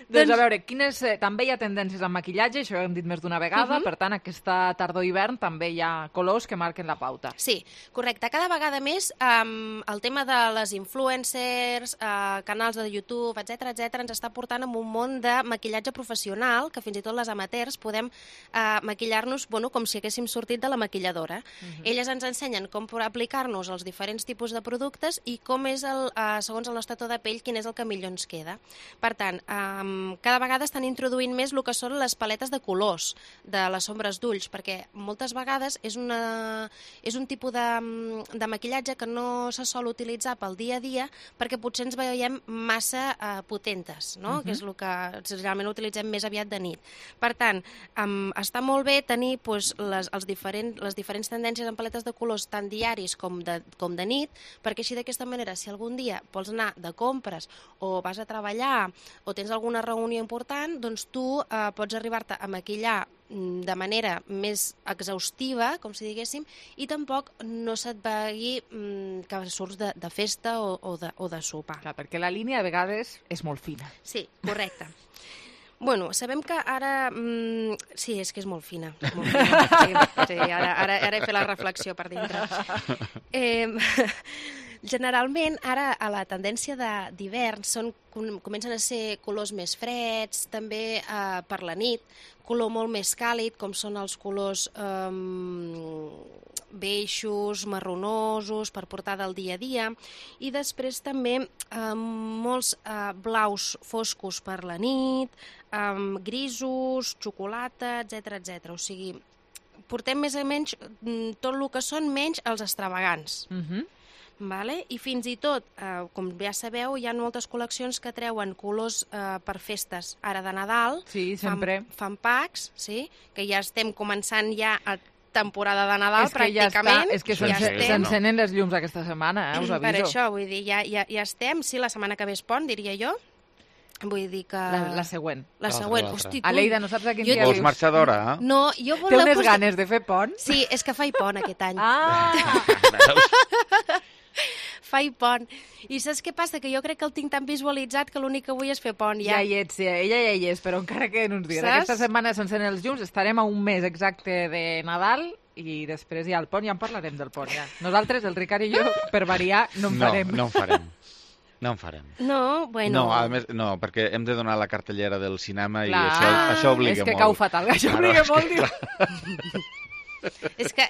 Doncs a veure, quines, eh, també hi ha tendències en maquillatge, això ho hem dit més d'una vegada, Mhm. per tant, aquesta tardor-hivern també hi ha colors que marquen la pauta. Sí, correcte. Cada vegada més um, el tema de les influencers, uh, canals de YouTube, etc etc ens està portant en un món de maquillatge professional, que fins i tot les amateurs podem uh, maquillar-nos, bueno, com si haguéssim sortit de la maquilladora. Mhm. Elles ens ensenyen com per aplicar-nos els diferents tipus de productes i com és, el, uh, segons el nostre to de pell, quin és el que millor ens queda. Per tant, um, cada vegada estan introduint més el que són les paletes de colors de les ombres d'ulls, perquè moltes vegades és, una, és un tipus de, de maquillatge que no se sol utilitzar pel dia a dia perquè potser ens veiem massa uh, potentes, no? Mhm. Que és el que generalment utilitzem més aviat de nit. Per tant, um, està molt bé tenir pues, les, els diferent, les diferents tendències en paletes de colors tant diaris com de, com de nit, perquè així d'aquesta manera, si algun dia vols anar de compres o vas a treballar o tens alguna reunió important, doncs tu eh, pots arribar-te a maquillar mm, de manera més exhaustiva, com si diguéssim, i tampoc no se't vegi mm, que surts de, de festa o, o, de, o de sopar. Clar, perquè la línia a vegades és molt fina. Sí, correcte. Bueno, sabem que ara... Mm, sí, és que és molt fina. Molt fina. Sí, sí, ara, ara, ara he fet la reflexió per dintre. Eh, generalment, ara, a la tendència de- d'hivern, són com- comencen a ser colors més freds, també eh, per la nit, color molt més càlid, com són els colors eh, beixos, marronosos, per portar del dia a dia, i després també eh, molts eh, blaus foscos per la nit, eh, grisos, xocolata, etc etc. O sigui, portem més o menys mm, tot el que són menys els extravagants. Mhm. Vale? I fins i tot, eh, com ja sabeu, hi ha moltes col·leccions que treuen colors eh, per festes. Ara de Nadal Sí, sempre. fan, fan packs, sí? Que ja estem començant ja a temporada de Nadal, És que ja pràcticament. està, és que ja s'ence- estem. s'encenen les llums aquesta setmana, eh? Us aviso. Per això, vull dir, ja, ja, ja estem. Sí, la setmana que ve és pont, diria jo. Vull dir que... La, la següent. La següent. Hosti, tu... Aleida, no saps a quin Jo dia tinc- Vols marxar d'hora, eh? No, jo Té voleu... unes posar- ganes de fer pont? Sí, és que faig pont aquest any. Ah! Faig pont. I saps què passa? Que jo crec que el tinc tan visualitzat que l'únic que vull és fer pont. Ja Ja, hi ets, ja, ella ja hi és, però encara queden uns dies. Saps? Aquesta setmana s'encenen els llums, estarem a un mes exacte de Nadal i després hi ha el pont, ja en parlarem del pont. Ja. Nosaltres, el Ricard i jo, per variar, no en No, farem. no en farem. No en farem. No, bueno... No, a més, no, perquè hem de donar la cartellera del cinema i Clar. això, això obliga És que molt. cau fatal, això Claro, obliga és molt, que, diu. clar. És que,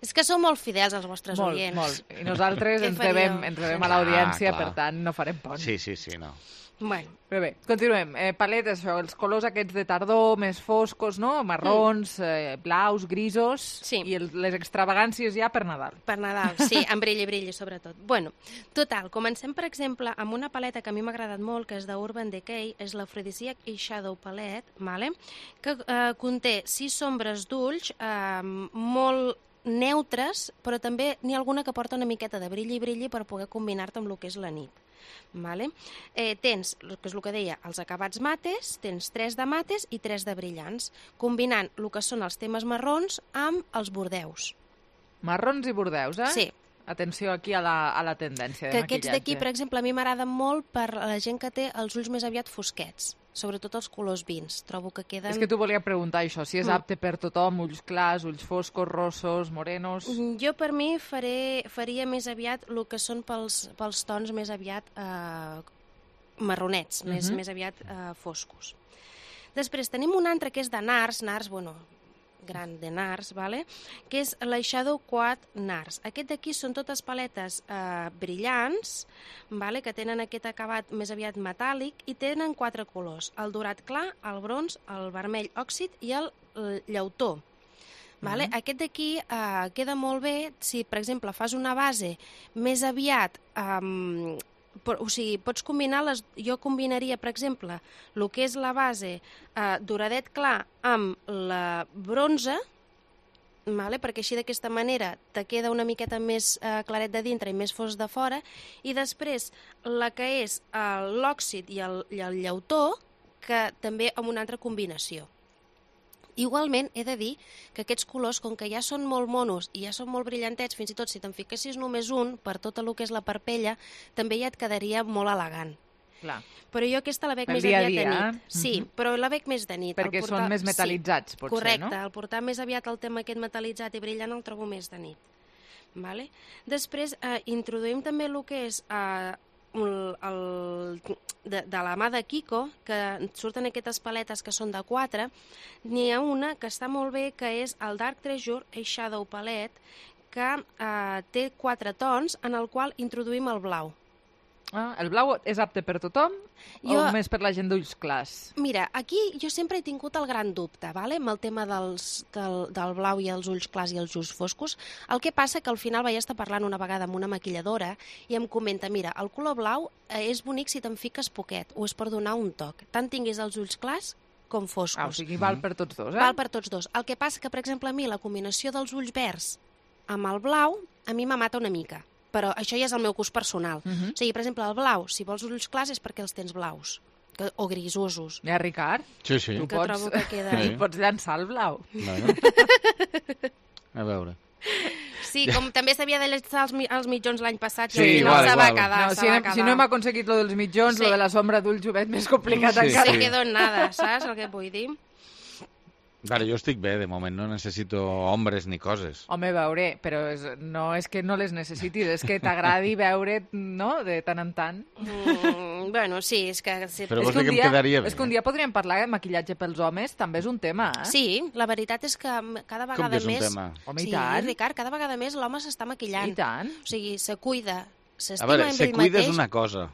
és que sou molt fidels els vostres Molt, oients. molt. I nosaltres Què ens faríeu? devem, ens devem a l'audiència, Ah, clar. per tant, no farem pont. Sí, sí, sí, no. Bueno. Bé, bé, continuem. Eh, paletes, això, els colors aquests de tardor, més foscos, no? Marrons, eh, blaus, grisos, Sí. i el, les extravagàncies ja per Nadal. Per Nadal, sí, amb brilli, brilli, sobretot. Bueno, total, comencem, per exemple, amb una paleta que a mi m'ha agradat molt, que és d'Urban Decay, és l'Aphrodisiac Eyeshadow Palette, vale? Que eh, conté sis ombres d'ulls eh, molt neutres, però també n'hi ha alguna que porta una miqueta de brilli, brilli per poder combinar-te amb el que és la nit. Vale? Eh, tens, que és el que deia, els acabats mates, tens tres de mates i tres de brillants, combinant el que són els temes marrons amb els bordeus. Marrons i bordeus, eh? Sí. Atenció aquí a la, a la tendència de Que maquillatge. aquests d'aquí, per exemple, a mi m'agraden molt per a la gent que té els ulls més aviat fosquets. sobretot els colors vins. Trobo que queden... És que t'ho volia preguntar, això, si és apte per tothom, ulls clars, ulls foscos, rossos, morenos... Jo, per mi, faré, faria més aviat el que són pels, pels tons més aviat eh, marronets, més, Mhm. més aviat eh, foscos. Després tenim un altre que és de Nars, Nars, bueno, gran de Nars, vale? Que és l'Eyeshadow Quad Nars. Aquest d'aquí són totes paletes eh, brillants, vale? Que tenen aquest acabat més aviat metàl·lic i tenen quatre colors, el dorat clar, el bronze, el vermell òxid i el, el llautó. Vale? Mhm. Aquest d'aquí eh, queda molt bé si, per exemple, fas una base més aviat... Eh, o sigui, pots combinar les... Jo combinaria, per exemple, el que és la base eh, doradet clar amb la bronze, vale? Perquè així d'aquesta manera te queda una miqueta més eh, claret de dintre i més fos de fora, i després la que és eh, l'òxid i, el, i el llautó, que també amb una altra combinació. Igualment, he de dir que aquests colors, com que ja són molt monos i ja són molt brillantets, fins i tot si te'n fiquessis només un, per tot el que és la parpella, també ja et quedaria molt elegant. Clar. Però jo aquesta la veig Pel més dia a aviat dia, de nit. eh? Sí, Mhm. però la veig més de nit. Perquè El portar- són més metal·litzats, sí, potser, correcte, no? el portar més aviat el tema aquest metal·litzat i brillant el trobo més de nit. Vale? Després eh, introduïm també el que és eh, el, el, de, de la mà de Kiko, que surten aquestes paletes que són de quatre. N'hi ha una que està molt bé, que és el Dark Treasure Eyeshadow Palette, que eh, té quatre tons, en el qual introduïm el blau. Ah, el blau és apte per tothom Jo- o més per la gent d'ulls clars? Mira, aquí jo sempre he tingut el gran dubte, vale? Amb el tema dels, del, del blau i els ulls clars i els ulls foscos. El que passa que al final vaig estar parlant una vegada amb una maquilladora i em comenta, mira, el color blau eh, és bonic si te'n fiques poquet, o és per donar un toc. Tant tinguis els ulls clars com foscos. Ah, o sigui, val per tots dos, eh? Val per tots dos. El que passa que, per exemple, a mi la combinació dels ulls verds amb el blau, a mi m'amata una mica. Però això ja és el meu gust personal. Mhm. O sigui, per exemple, el blau, si vols ulls clars és perquè els tens blaus, que, o grisosos. Ja, Ricard? Sí, sí. Que trobo que queda... I pots llançar el blau. Bueno. A veure. Sí, com també s'havia de llançar els, mi- els mitjons l'any passat, Sí, i al final igual, se va igual. quedar, No, se si, va hem, quedar. si no hem aconseguit lo dels mitjons, Sí. lo de la sombra d'ulls ho veig més complicat Sí, encara. Se quedó en nada, saps el que vull dir? Vale, jo estic bé, de moment no necessito ombres ni coses. Home, veure, però és, no és que no les necessitis, és que t'agradi veure, no?, de tant en tant. Mm, bueno, sí, és que... Sí, Però És vols que dir un que em quedaria bé? És que un dia podríem parlar de maquillatge pels homes, també és un tema, eh? Sí, la veritat és que cada Com vegada que és un més... tema? Home, i sí, tant. Ricard, cada vegada més l'home s'està maquillant. I tant. O sigui, se cuida, A s'estima veure, amb se ell cuida mateix. és una cosa.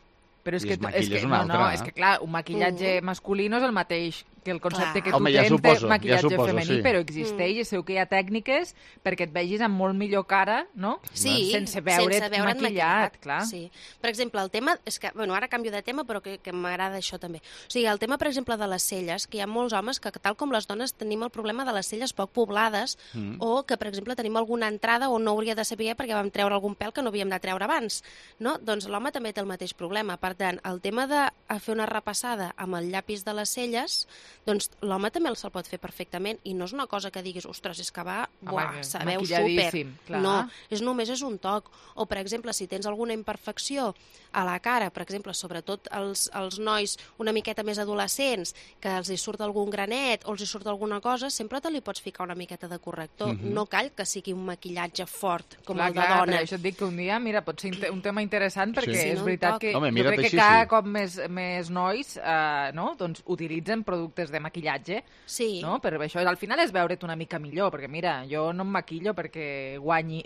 Però és I que, es maquilla és que, és una no, altra. no, és que clar, un maquillatge Mm. masculí no és el mateix que el concepte Clar. que tu Home, ja tens suposo, de ja maquillatge suposo, femení, sí. però existeix i segur que hi ha tècniques perquè et vegis amb molt millor cara, no? Sí, sense veure't sense veure't maquillat, clar. Sí. Per exemple, el tema, és que, bueno, ara canvio de tema, però que, que m'agrada això també. O sigui, el tema, per exemple, de les celles, que hi ha molts homes que, tal com les dones, tenim el problema de les celles poc poblades, Mm. o que, per exemple, tenim alguna entrada on no hauria de saber perquè vam treure algun pèl que no havíem de treure abans, no? Doncs l'home també té el mateix problema. Per tant, el tema de fer una repassada amb el llapis de les celles, doncs l'home també se'l pot fer perfectament, i no és una cosa que diguis, ostres, és que va, buah, que sabeu súper. maquilladíssim, clar. No, és només és un toc. O, per exemple, si tens alguna imperfecció a la cara, per exemple, sobretot els, els nois una miqueta més adolescents, que els hi surt algun granet o els hi surt alguna cosa, sempre te li pots ficar una miqueta de corrector. Mhm. No cal que sigui un maquillatge fort, com clar, el de clar, dona. per això et dic que un dia, mira, pot ser inte- un tema interessant perquè Sí, és no, un veritat toc. que Home, jo mira't crec que així, cada sí. cop més, més nois eh, no? doncs, utilitzen productes de maquillatge, Sí. no? Per això al final és veure't una mica millor, perquè mira, jo no em maquillo perquè guanyi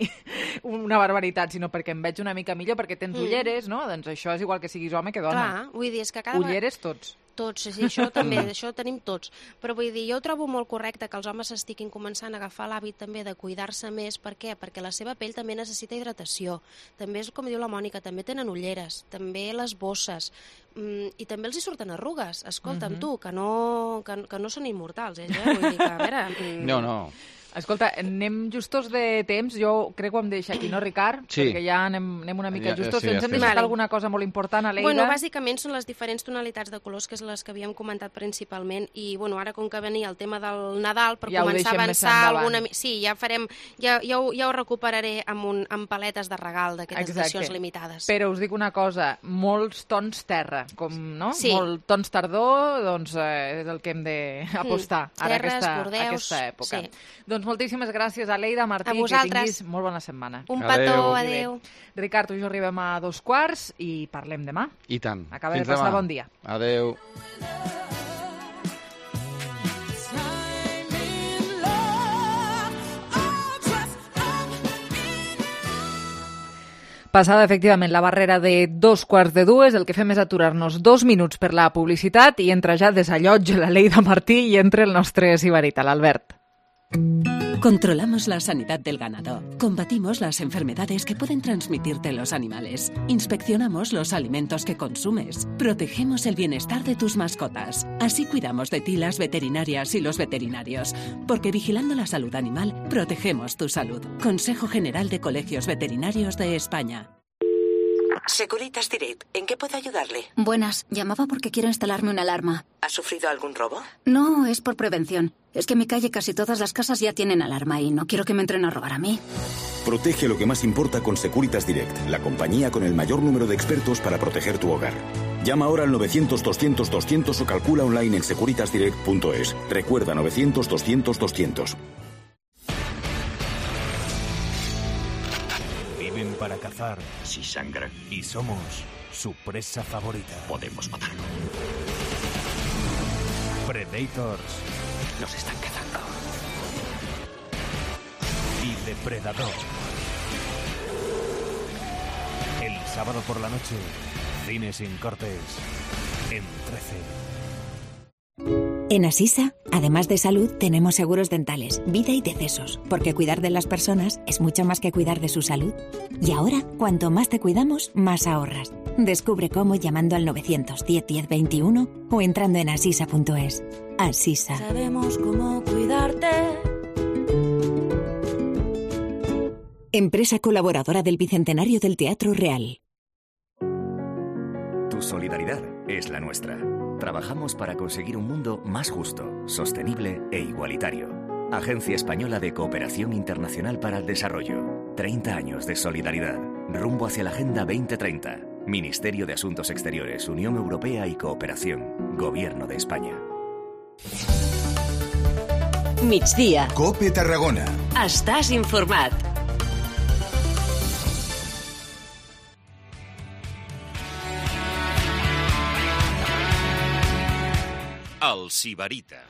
una barbaritat, sinó perquè em veig una mica millor, perquè tens Mm. ulleres, no? Doncs això és igual que siguis home que dona. Clar, vull dir, és que cada vegada... Ulleres tots. Tots, sí, això també, això ho tenim tots. Però vull dir, jo ho trobo molt correcte que els homes estiguin començant a agafar l'hàbit també de cuidar-se més. Per què? Perquè la seva pell també necessita hidratació. També és, com diu la Mònica, també tenen ulleres, també les bosses, mm, i també els hi surten arrugues. Escolta'm, Mhm. tu, que no, que, que no són immortals, ells, eh? Vull dir que, a veure... mm, No, no. Escolta, anem justos de temps. Jo crec que ho hem de deixar aquí, no, Ricard? Sí. Perquè ja anem, anem una mica Ja- justos. sí, Ens ja hem estem. deixat Vale. alguna cosa molt important, Aleida? Bueno, bàsicament són les diferents tonalitats de colors, que és les que havíem comentat principalment, i bueno, ara com que venia el tema del Nadal, per Ja ho començar a deixem més avançar endavant. alguna... mi- Sí, ja farem, ja, ja, ho, ja ho recuperaré amb, un, amb paletes de regal d'aquestes Exacte. edicions limitades. Però us dic una cosa, molts tons terra, com, no? Sí. Molt tons tardor, doncs eh, és el que hem d'apostar Mm, ara terres, aquesta, bordeus, aquesta època. sí. Doncs moltíssimes gràcies, Aleida, Martí, A que vosaltres. tinguis molt bona setmana. Un petó, adéu. Ricard, tu i jo arribem a dos quarts i parlem demà. I tant. Acaba de Fins passar demà. bon dia. Adéu. Passada, efectivament, la barrera de dos quarts de dues, el que fem és aturar-nos dos minuts per la publicitat i entra ja desallotja la Leida Martí i entra el nostre sibarita, l'Albert. Controlamos la sanidad del ganado. Combatimos las enfermedades que pueden transmitirte los animales. Inspeccionamos los alimentos que consumes. Protegemos el bienestar de tus mascotas. Así cuidamos de ti las veterinarias y los veterinarios. Porque vigilando la salud animal, protegemos tu salud. Consejo General de Colegios Veterinarios de España. Securitas Direct, ¿en qué puedo ayudarle? Buenas, llamaba porque quiero instalarme una alarma. ¿Ha sufrido algún robo? No, es por prevención. Es que en mi calle casi todas las casas ya tienen alarma y no quiero que me entren a robar a mí. Protege lo que más importa con Securitas Direct, la compañía con el mayor número de expertos para proteger tu hogar. Llama ahora al novecientos doscientos doscientos o calcula online en securitas direct punto es. Recuerda novecientos doscientos doscientos. Viven para cazar. Si sangran. Y somos su presa favorita. Podemos matarlo. Predators. Nos están cazando. Y Depredador. El sábado por la noche, cine sin cortes. En trece. En Asisa, además de salud, tenemos seguros dentales, vida y decesos, porque cuidar de las personas es mucho más que cuidar de su salud. Y ahora, cuanto más te cuidamos, más ahorras. Descubre cómo llamando al novecientos diez diez veintiuno o entrando en asisa punto es. Asisa. Sabemos cómo cuidarte. Empresa colaboradora del Bicentenario del Teatro Real. Tu solidaridad es la nuestra. Trabajamos para conseguir un mundo más justo, sostenible e igualitario. Agencia Española de Cooperación Internacional para el Desarrollo. treinta años de solidaridad. Rumbo hacia la Agenda veinte treinta. Ministerio de Asuntos Exteriores, Unión Europea y Cooperación. Gobierno de España. Migdia. COPE Tarragona. Estàs informat. El Sibarita.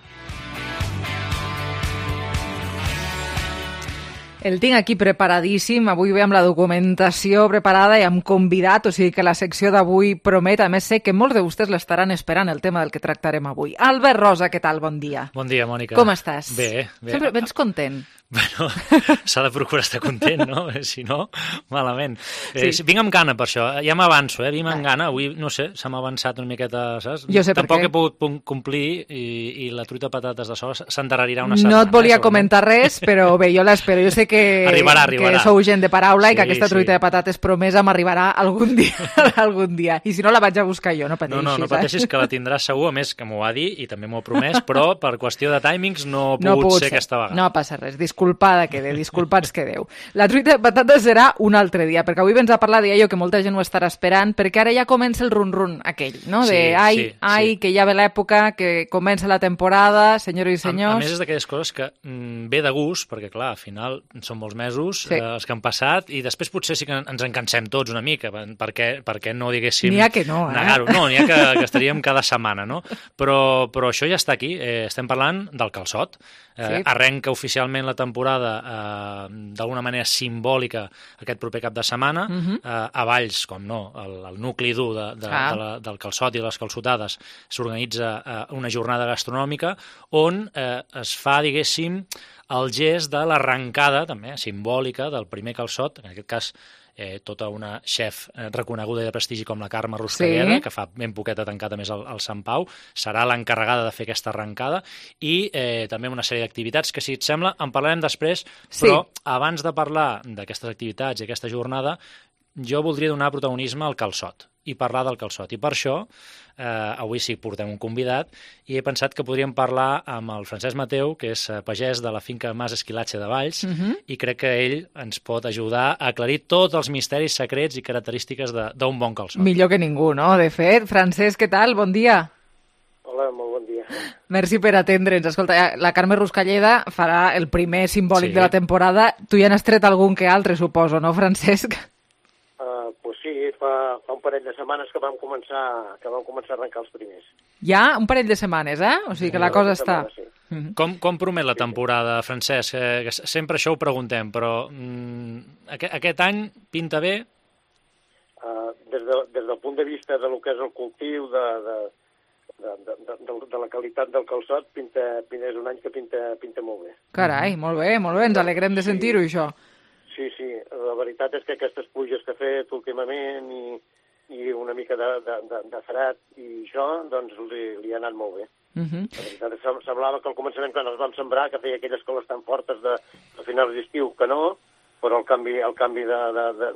El tinc aquí preparadíssim, avui ve amb la documentació preparada i amb convidat, o sigui que la secció d'avui promet, a més sé que molts de vostès l'estaran esperant, el tema del que tractarem avui. Albert Rosa, què tal? Bon dia. Bon dia, Mònica. Com estàs? Bé, bé. Sempre vens content. Bueno, s'ha de procurar estar content, no? Si no, malament. Eh, Sí. Vinc amb gana per això, ja m'avanço, eh? Vinc amb gana, avui, no sé, se m'ha avançat una miqueta, saps? Jo sé per Tampoc què. he pogut pun- complir i, i la truita patates de sols s'endarrerirà una setmana. No et volia eh, comentar res, però bé, jo l'espero. Jo sé que, Arribarà, arribarà. que sou gent de paraula i Sí, que aquesta truita sí. de patates promesa m'arribarà algun dia, algun dia. I si no, la vaig a buscar jo, no pateixis. No, no, no pateixis, eh? que la tindràs segur, a més que m'ho va dir i també m'ho ha promès, però per qüestió de timings no ha pogut, No ha pogut ser ser. aquesta vegada. No passa res, disculpada quede, disculpats quedeu. La truita de patates serà un altre dia, perquè avui vens a parlar, deia jo, que molta gent ho estarà esperant, perquè ara ja comença el run-run aquell, no? De Sí, ai, sí, ai, sí. que ja ve l'època, que comença la temporada, senyores i A, a senyors. més, és d'aquelles coses que mm, ve de gust, perquè, clar, al final són molts mesos Sí. eh, els que han passat, i després potser sí que ens en cansem tots una mica, perquè, perquè no diguéssim... N'hi ha que no, eh? Negar-ho. No, n'hi ha que, que estaríem cada setmana, no? Però, però això ja està aquí. Eh, estem parlant del calçot. Eh, Sí. Arrenca oficialment la temporada eh, d'alguna manera simbòlica aquest proper cap de setmana. Mhm. eh, a Valls, com no, el, el nucli dur de, de, Ah. de la, del calçot i de les calçotades, s'organitza eh, una jornada gastronòmica on eh, es fa, diguéssim, el gest de l'arrencada, també, simbòlica, del primer calçot, en aquest cas eh, tota una chef eh, reconeguda i de prestigi com la Carme Ruscalleda, Sí. que fa ben poquet ha tancat a més el, el Sant Pau, serà l'encarregada de fer aquesta arrencada, i eh, també una sèrie d'activitats que, si et sembla, en parlarem després, Sí. però abans de parlar d'aquestes activitats i aquesta jornada, jo voldria donar protagonisme al calçot i parlar del calçot. I per això, eh, avui sí portem un convidat, i he pensat que podríem parlar amb el Francesc Mateu, que és eh, pagès de la finca Mas Esquilatge de Valls, Mhm. i crec que ell ens pot ajudar a aclarir tots els misteris secrets i característiques de- d'un bon calçot. Millor que ningú, no? De fet, Francesc, què tal? Bon dia. Hola, molt bon dia. Merci per atendre'ns. Escolta, la Carme Ruscalleda farà el primer simbòlic Sí. de la temporada. Tu ja n'has tret algun que altre, suposo, no, Francesc? Uh, pues sí, fa, fa un parell de setmanes que vam començar que vam començar a arrencar els primers. Ja un parell de setmanes, eh? O sigui que la cosa està... Sí. Com, com promet la temporada, Francesc? Eh, que sempre això ho preguntem, però mm, aquest, aquest any pinta bé? Uh, des, de, des del punt de vista de lo que és el cultiu, de, de, de, de, de, de, de la qualitat del calçot, pinta, pinta, és un any que pinta, pinta molt bé. Carai, molt bé, molt bé. Ens alegrem de sentir-ho, això. Sí, sí, la veritat és que aquestes pluges que ha fet últimament i, i una mica de, de, de, de fred i això, doncs li, li ha anat molt bé. Mhm. La veritat és que semblava que al començament, quan els vam sembrar, que feia aquelles coles tan fortes de, de finals d'estiu, que no, però el canvi, el canvi de, de, de,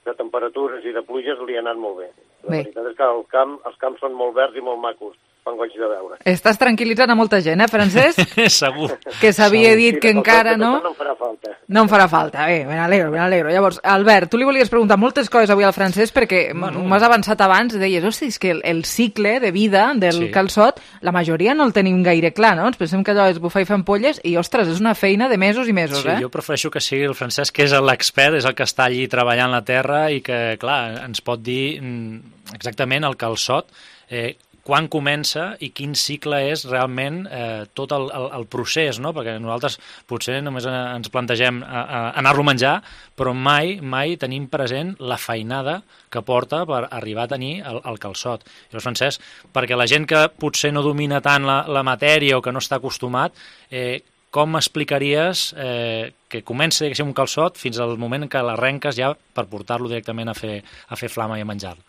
de temperatures i de pluges li ha anat molt bé. La Bé. veritat és que el camp, els camps són molt verds i molt macos, fan goig de veure. Estàs tranquil·litzant a molta gent, eh, Francesc? Segur. Que s'havia Segur. dit Sí, que de encara calçot, no... de calçot no em farà falta. No em farà falta. Bé, me n'alegro, me n'alegro. Llavors, Albert, tu li volies preguntar moltes coses avui al Francesc perquè Bueno. m'has avançat abans, deies, hosti, és que el, el cicle de vida del Sí. calçot, la majoria no el tenim gaire clar, no? Ens pensem que allò és bufar i fer ampolles i, ostres, és una feina de mesos i mesos, Sí, eh? jo prefereixo que sigui el Francesc, que és l'expert, és el que està allí treballant la terra i que, clar, ens pot dir mm, exactament el calçot, eh, quan comença i quin cicle és realment eh, tot el, el, el procés, no? Perquè nosaltres potser només eh, ens plantegem a, a anar-lo a menjar, però mai, mai tenim present la feinada que porta per arribar a tenir el, el calçot. Llavors, Francesc, perquè la gent que potser no domina tant la, la matèria o que no està acostumat, eh, com explicaries eh, que comença diguéssim, un calçot fins al moment que l'arrenques ja per portar-lo directament a fer, a fer flama i a menjar-lo?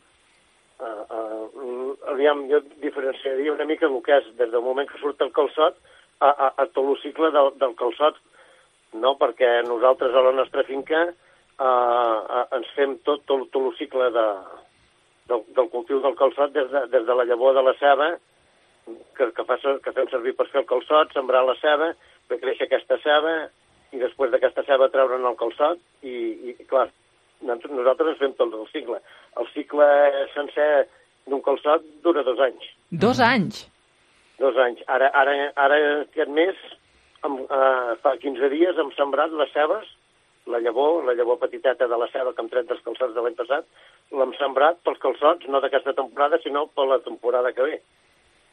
Uh, uh, aviam, jo diferenciaria una mica el que és des del moment que surt el calçot a, a, a tot el cicle del, del calçot, no? Perquè nosaltres a la nostra finca uh, uh, ens fem tot, tot, tot el cicle de, del, del cultiu del calçot des de, des de la llavor de la ceba, que, que, fa, que fem servir per fer el calçot, sembrar la ceba, fer créixer aquesta ceba, i després d'aquesta ceba treure'n el calçot, i, i clar, nosaltres ens fem tot el cicle. El cicle sencer d'un calçot dura dos anys. Dos anys? Dos anys. Ara, ara, ara aquest mes, amb, uh, fa quinze dies, hem sembrat les cebes, la llavor, la llavor petiteta de la ceba que hem tret dels calçots de l'any passat, l'hem sembrat pels calçots, no d'aquesta temporada, sinó per la temporada que ve.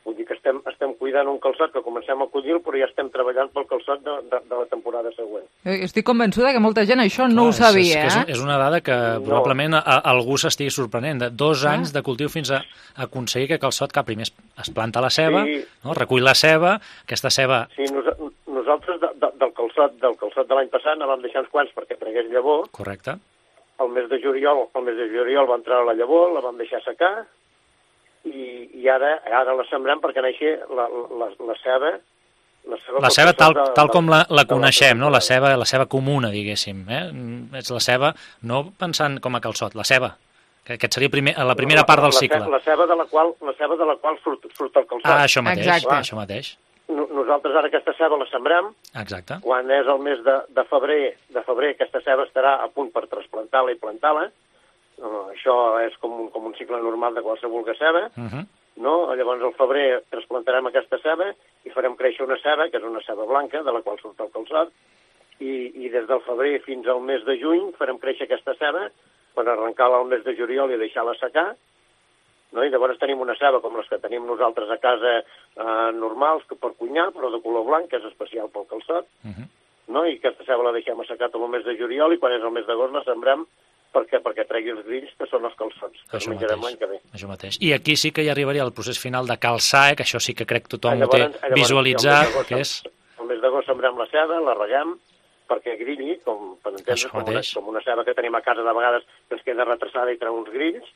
Vull dir que estem, estem cuidant un calçot que comencem a collir, però ja estem treballant pel calçot de, de, de la temporada següent. Estic convençuda que molta gent això no Clar, ho sabia, és, és, eh? és una dada que no. probablement a, a, algú s'estigui sorprenent. De dos Ah. anys de cultiu fins a aconseguir que calçot, que primer es, es planta la ceba, Sí. no? recull la ceba, aquesta ceba... Sí, nos, nosaltres de, de, del calçot del calçot de l'any passat ne vam deixar uns quants perquè tragués llavor. Correcte. El mes de juliol, el mes de juliol va entrar la llavor, la vam deixar secar, i, i ara, ara la sembrem perquè neixi la, la, la ceba... La ceba, La ceba tal, de, tal com la, la de coneixem, no? la ceba, la ceba comuna, diguéssim. Eh? És la ceba, no pensant com a calçot, la ceba, que aquest seria primer, la primera la, part del la, cicle. La ceba de la qual, la ceba de la qual surt, surt el calçot. Ah, això mateix, Exacte. això mateix. Nosaltres ara aquesta ceba la sembrem. Exacte. Quan és el mes de, de febrer, de febrer aquesta ceba estarà a punt per trasplantar-la i plantar-la. Uh, això és com un, com un cicle normal de qualsevol ceba. Uh -huh. No? Llavors al febrer trasplantarem aquesta ceba i farem créixer una ceba, que és una ceba blanca, de la qual surt el calçot, i, i des del febrer fins al mes de juny farem créixer aquesta ceba per arrencar-la al mes de juliol i deixar-la secar, no? I llavors tenim una ceba com les que tenim nosaltres a casa eh, normals, que per cuinar, però de color blanc, que és especial pel calçot, uh -huh. no? I aquesta ceba la deixem assecar tot el mes de juliol i quan és el mes d'agost la sembrem perquè, perquè tregui els grills, que són els calçots, que els menjarem l'any que ve. Això mateix. I aquí sí que hi arribaria el procés final de calçar, eh, que això sí que crec que tothom Llavors, ho té llavors, visualitzat, el mes que és... El mes d'agost sembrem la ceba, la reguem, perquè grilli, com per entendre, com una, com una ceba que tenim a casa de vegades que ens queda retrasada i treu uns grills,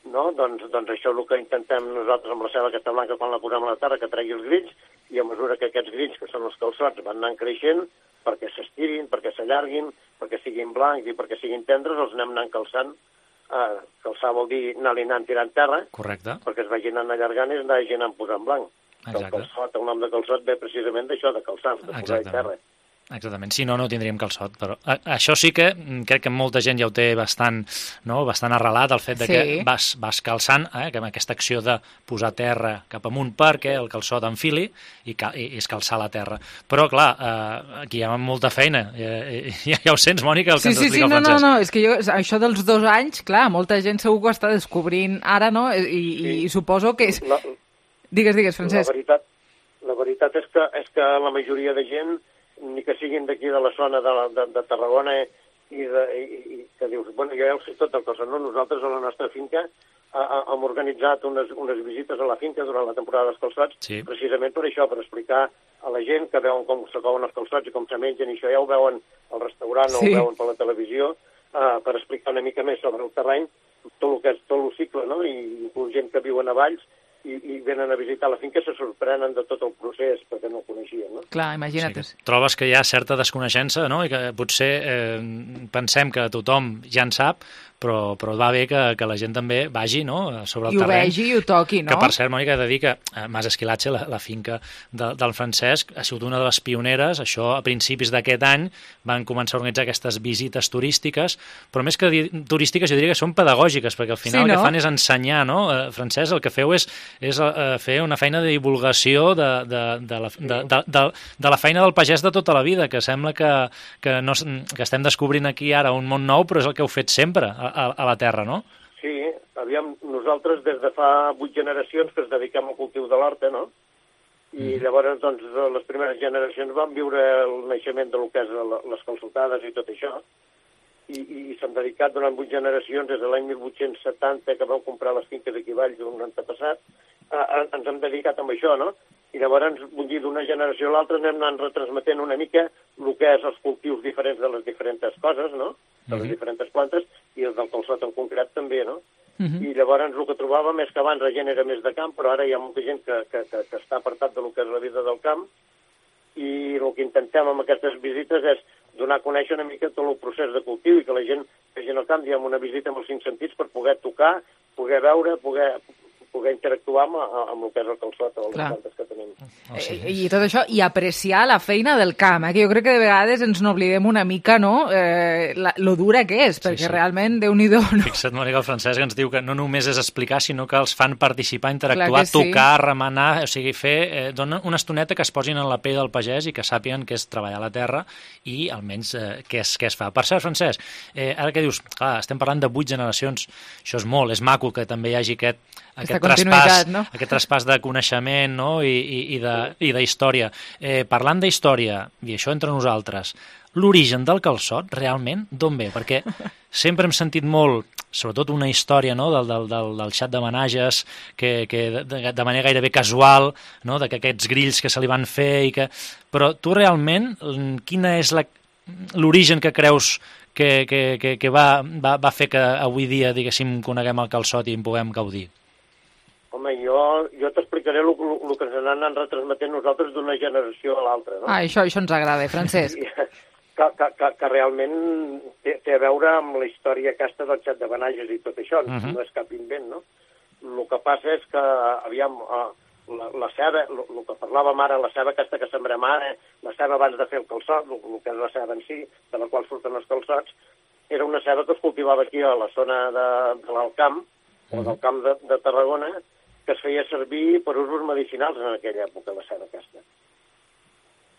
no? Doncs, doncs això és el que intentem nosaltres amb la ceba aquesta blanca quan la posem a la terra, que tregui els grills, i a mesura que aquests grills, que són els calçots, van anant creixent, perquè s'estirin, perquè s'allarguin, perquè siguin blancs i perquè siguin tendres, els anem anant calçant. Uh, calçar vol dir anar-li anant tirant terra. Correcte. Perquè es vagin anant allargant i es vagin anant posant blanc. El calçot, el nom de calçot ve precisament d'això, de calçar, de posar terra. Exactament, si no, no tindríem calçot. Però a, això sí que crec que molta gent ja ho té bastant, no? bastant arrelat, el fet de que sí. vas, vas calçant, eh? que amb aquesta acció de posar terra cap amunt perquè el calçot enfili i, cal, i, i és calçar la terra. Però, clar, eh, aquí hi ha molta feina. Ja, ja, ja ho sents, Mònica, el que sí, ens sí, explica sí, el Francesc. No, no, no, és que jo, això dels dos anys, clar, molta gent segur que ho està descobrint ara, no? I, sí. i suposo que és... La, digues, digues, Francesc. La veritat, la veritat és, que, és que la majoria de gent, ni que siguin d'aquí de la zona de, de, de Tarragona i, de, i, i que dius, bueno, jo ja ho sé tot el cosa, no? Nosaltres a la nostra finca a, a, hem organitzat unes, unes visites a la finca durant la temporada dels calçots, sí. precisament per això, per explicar a la gent que veuen com s'acoven els calçots i com se mengen, i això ja ho veuen al restaurant sí. o ho veuen per la televisió, uh, per explicar una mica més sobre el terreny, tot el que és tot el cicle, no? I inclús gent que viuen a Valls, I, i venen a visitar la finca, se sorprenen de tot el procés, perquè no ho coneixien, no? Clar, imagina't. Sí, trobes que hi ha certa desconeixença, no? I que potser eh, pensem que tothom ja en sap, però, però va bé que, que la gent també vagi, no?, sobre el I ho terreny. vegi i ho toqui, no? Que, per cert, Mònica, he de dir que a Mas Esquilatge, la, la finca de, del Francesc, ha sigut una de les pioneres. Això, a principis d'aquest any, van començar a organitzar aquestes visites turístiques, però més que turístiques, jo diria que són pedagògiques, perquè al final sí, no? el que fan és ensenyar, no? Francesc, el que feu és, és uh, fer una feina de divulgació de, de, de, la, de, de, de, de la feina del pagès de tota la vida, que sembla que, que, no, que estem descobrint aquí ara un món nou, però és el que heu fet sempre a, a la terra, no? Sí, aviam, nosaltres des de fa vuit generacions que es dediquem al cultiu de l'horta, no? I mm. llavors, doncs, les primeres generacions van viure el naixement de lo que és les calçotades i tot això, i, i s'han dedicat durant vuit generacions, des de l'any mil vuit-cents setanta, que vau comprar les finques aquí a Valls d'un antepassat, a, a, ens hem dedicat amb això, no? I llavors, vull dir, d'una generació a l'altra anem anant retransmetent una mica el que és els cultius diferents de les diferents coses, no? De les uh-huh. diferents plantes, i el del calçot en concret també, no? Uh-huh. I llavors el que trobàvem és que abans la gent era més de camp, però ara hi ha molta gent que, que, que, que està apartat de lo que és la vida del camp, i el que intentem amb aquestes visites és donar a conèixer una mica tot el procés de cultiu i que la gent vegi al camp, diguem, una visita amb els cinc sentits per poder tocar, poder veure, poder... poder interactuar amb, amb el que és el calçot o les plantes que tenim. Oh, sí. I, I tot això, i apreciar la feina del camp, eh? Que jo crec que de vegades ens n'oblidem una mica, no?, eh, la, lo dura que és, perquè sí, sí. realment, Déu-n'hi-do, no? Fixa't, Mònica, el Francesc ens diu que no només és explicar, sinó que els fan participar, interactuar, tocar, sí. remenar, o sigui, fer, eh, donar una estoneta que es posin en la pell del pagès i que sàpiguen què és treballar la terra i almenys eh, què, és, què es fa. Per cert, Francesc, eh, ara que dius, clar, estem parlant de vuit generacions, això és molt, és maco que també hi hagi aquest aquest traspàs, no? aquest traspàs de coneixement, no? I, i, i, de, i d'història. Eh, parlant d'història, i això entre nosaltres, l'origen del calçot, realment, d'on ve? Perquè sempre hem sentit molt, sobretot una història, no? del, del, del, del xat de menages, que, que de, de manera gairebé casual, no? de que aquests grills que se li van fer, i que... però tu realment, quina és la, l'origen que creus que, que, que, que va, va, va fer que avui dia, diguéssim, coneguem el calçot i en puguem gaudir? Home, jo, jo t'explicaré el que ens anem retransmetent nosaltres d'una generació a l'altra, no? Ah, això, això ens agrada, Francesc. Que, que, que, que realment té, té a veure amb la història aquesta del xat de Benages i tot això, uh-huh. no és cap invent, no? El que passa és que, aviam, la, la ceba, el que parlàvem ara, la ceba aquesta que sembrem ara, la ceba abans de fer el calçot, el que és la ceba en si, de la qual surten els calçots, era una ceba que es cultivava aquí a la zona de, de l'Alcamp, uh-huh. o del camp de, de Tarragona, que es feia servir per usos medicinals en aquella època, la ceba aquesta.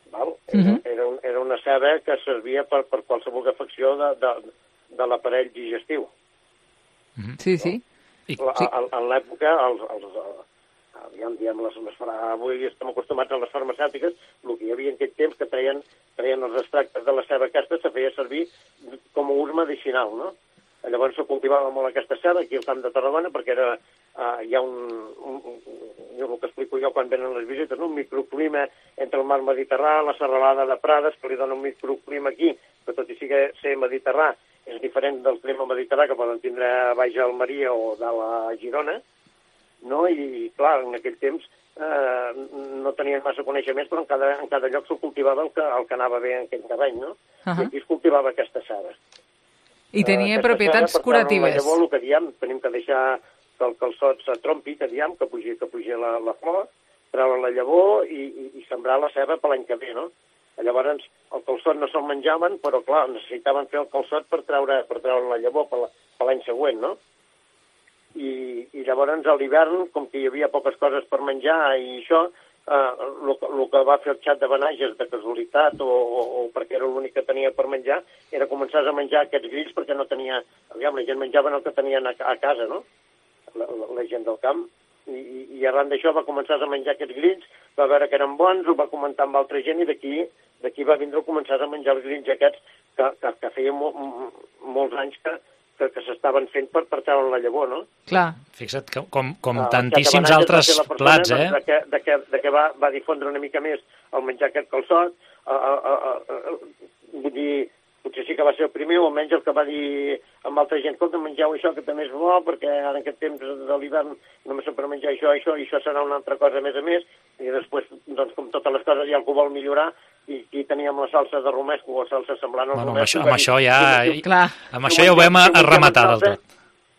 Val? Uh-huh. Era, un, era una ceba que servia per, per qualsevol afecció de, de, de l'aparell digestiu. Uh-huh. Sí, sí. La, sí. A, en l'època, els, els, aviam, diem, les, les, avui estem acostumats a les farmacèutiques, el que hi havia en aquell temps que treien, treien els extractes de la ceba aquesta, se feia servir com a ús medicinal, no? Llavors se cultivava molt aquesta ceba aquí al camp de Tarragona perquè era, uh, hi ha un, un, un, el que explico explico jo quan venen les visites, no? Un microclima entre el mar Mediterrani, la serralada de Prades, que li dona un microclima aquí, que tot i sigui ser Mediterrani, és diferent del clima mediterrani que poden tindre a baix a Almeria o dalt a Girona, no? I, clar, en aquell temps eh, no tenien massa coneixements, però en cada, en cada lloc s'ho cultivava el que, el que anava bé en aquell terreny, no? Uh -huh. I aquí es cultivava aquesta cera. I tenia uh, propietats cera, curatives. Llavors, el que diem, tenim que deixar que el calçot s'atrompi, que diem, que pugi, que pugi la, la flor, treure la llavor i, i, i sembrar la ceba per l'any que ve, no? Llavors, el calçot no se'l menjaven, però, clar, necessitaven fer el calçot per treure, per treure la llavor per l'any següent, no? I, i llavors, a l'hivern, com que hi havia poques coses per menjar i això, el eh, que va fer el xat de Benages de casualitat o, o, o perquè era l'únic que tenia per menjar, era començar a menjar aquests grills perquè no tenia... Aviam, la gent menjaven el que tenien a, a casa, no? La, la, la gent del camp. I, i, i arran d'això va començar a menjar aquests grills, va veure que eren bons, ho va comentar amb altra gent i d'aquí d'aquí va vindre a començar a menjar els grills aquests que, que, que feia mo, molts anys que, que, que s'estaven fent per, per treure la llavor, no? Clar. Fixa't, que, com, com ah, tantíssims altres plats, eh? De que, de que, de que va, va difondre una mica més el menjar aquest calçot, uh, uh, uh, uh, vull dir, potser sí que va ser el primer, o almenys el que va dir amb altra gent, escolta, mengeu això que també és bo, perquè ara en aquest temps de l'hivern només s'ha per menjar això, això, i això serà una altra cosa a més a més, i després, doncs, com totes les coses, hi ha algú vol millorar, i aquí teníem la salsa de romesco, o la salsa semblant al bueno, romesco. Amb això, amb això ja, si, si, amb això ja ho vam si arrematar del tot.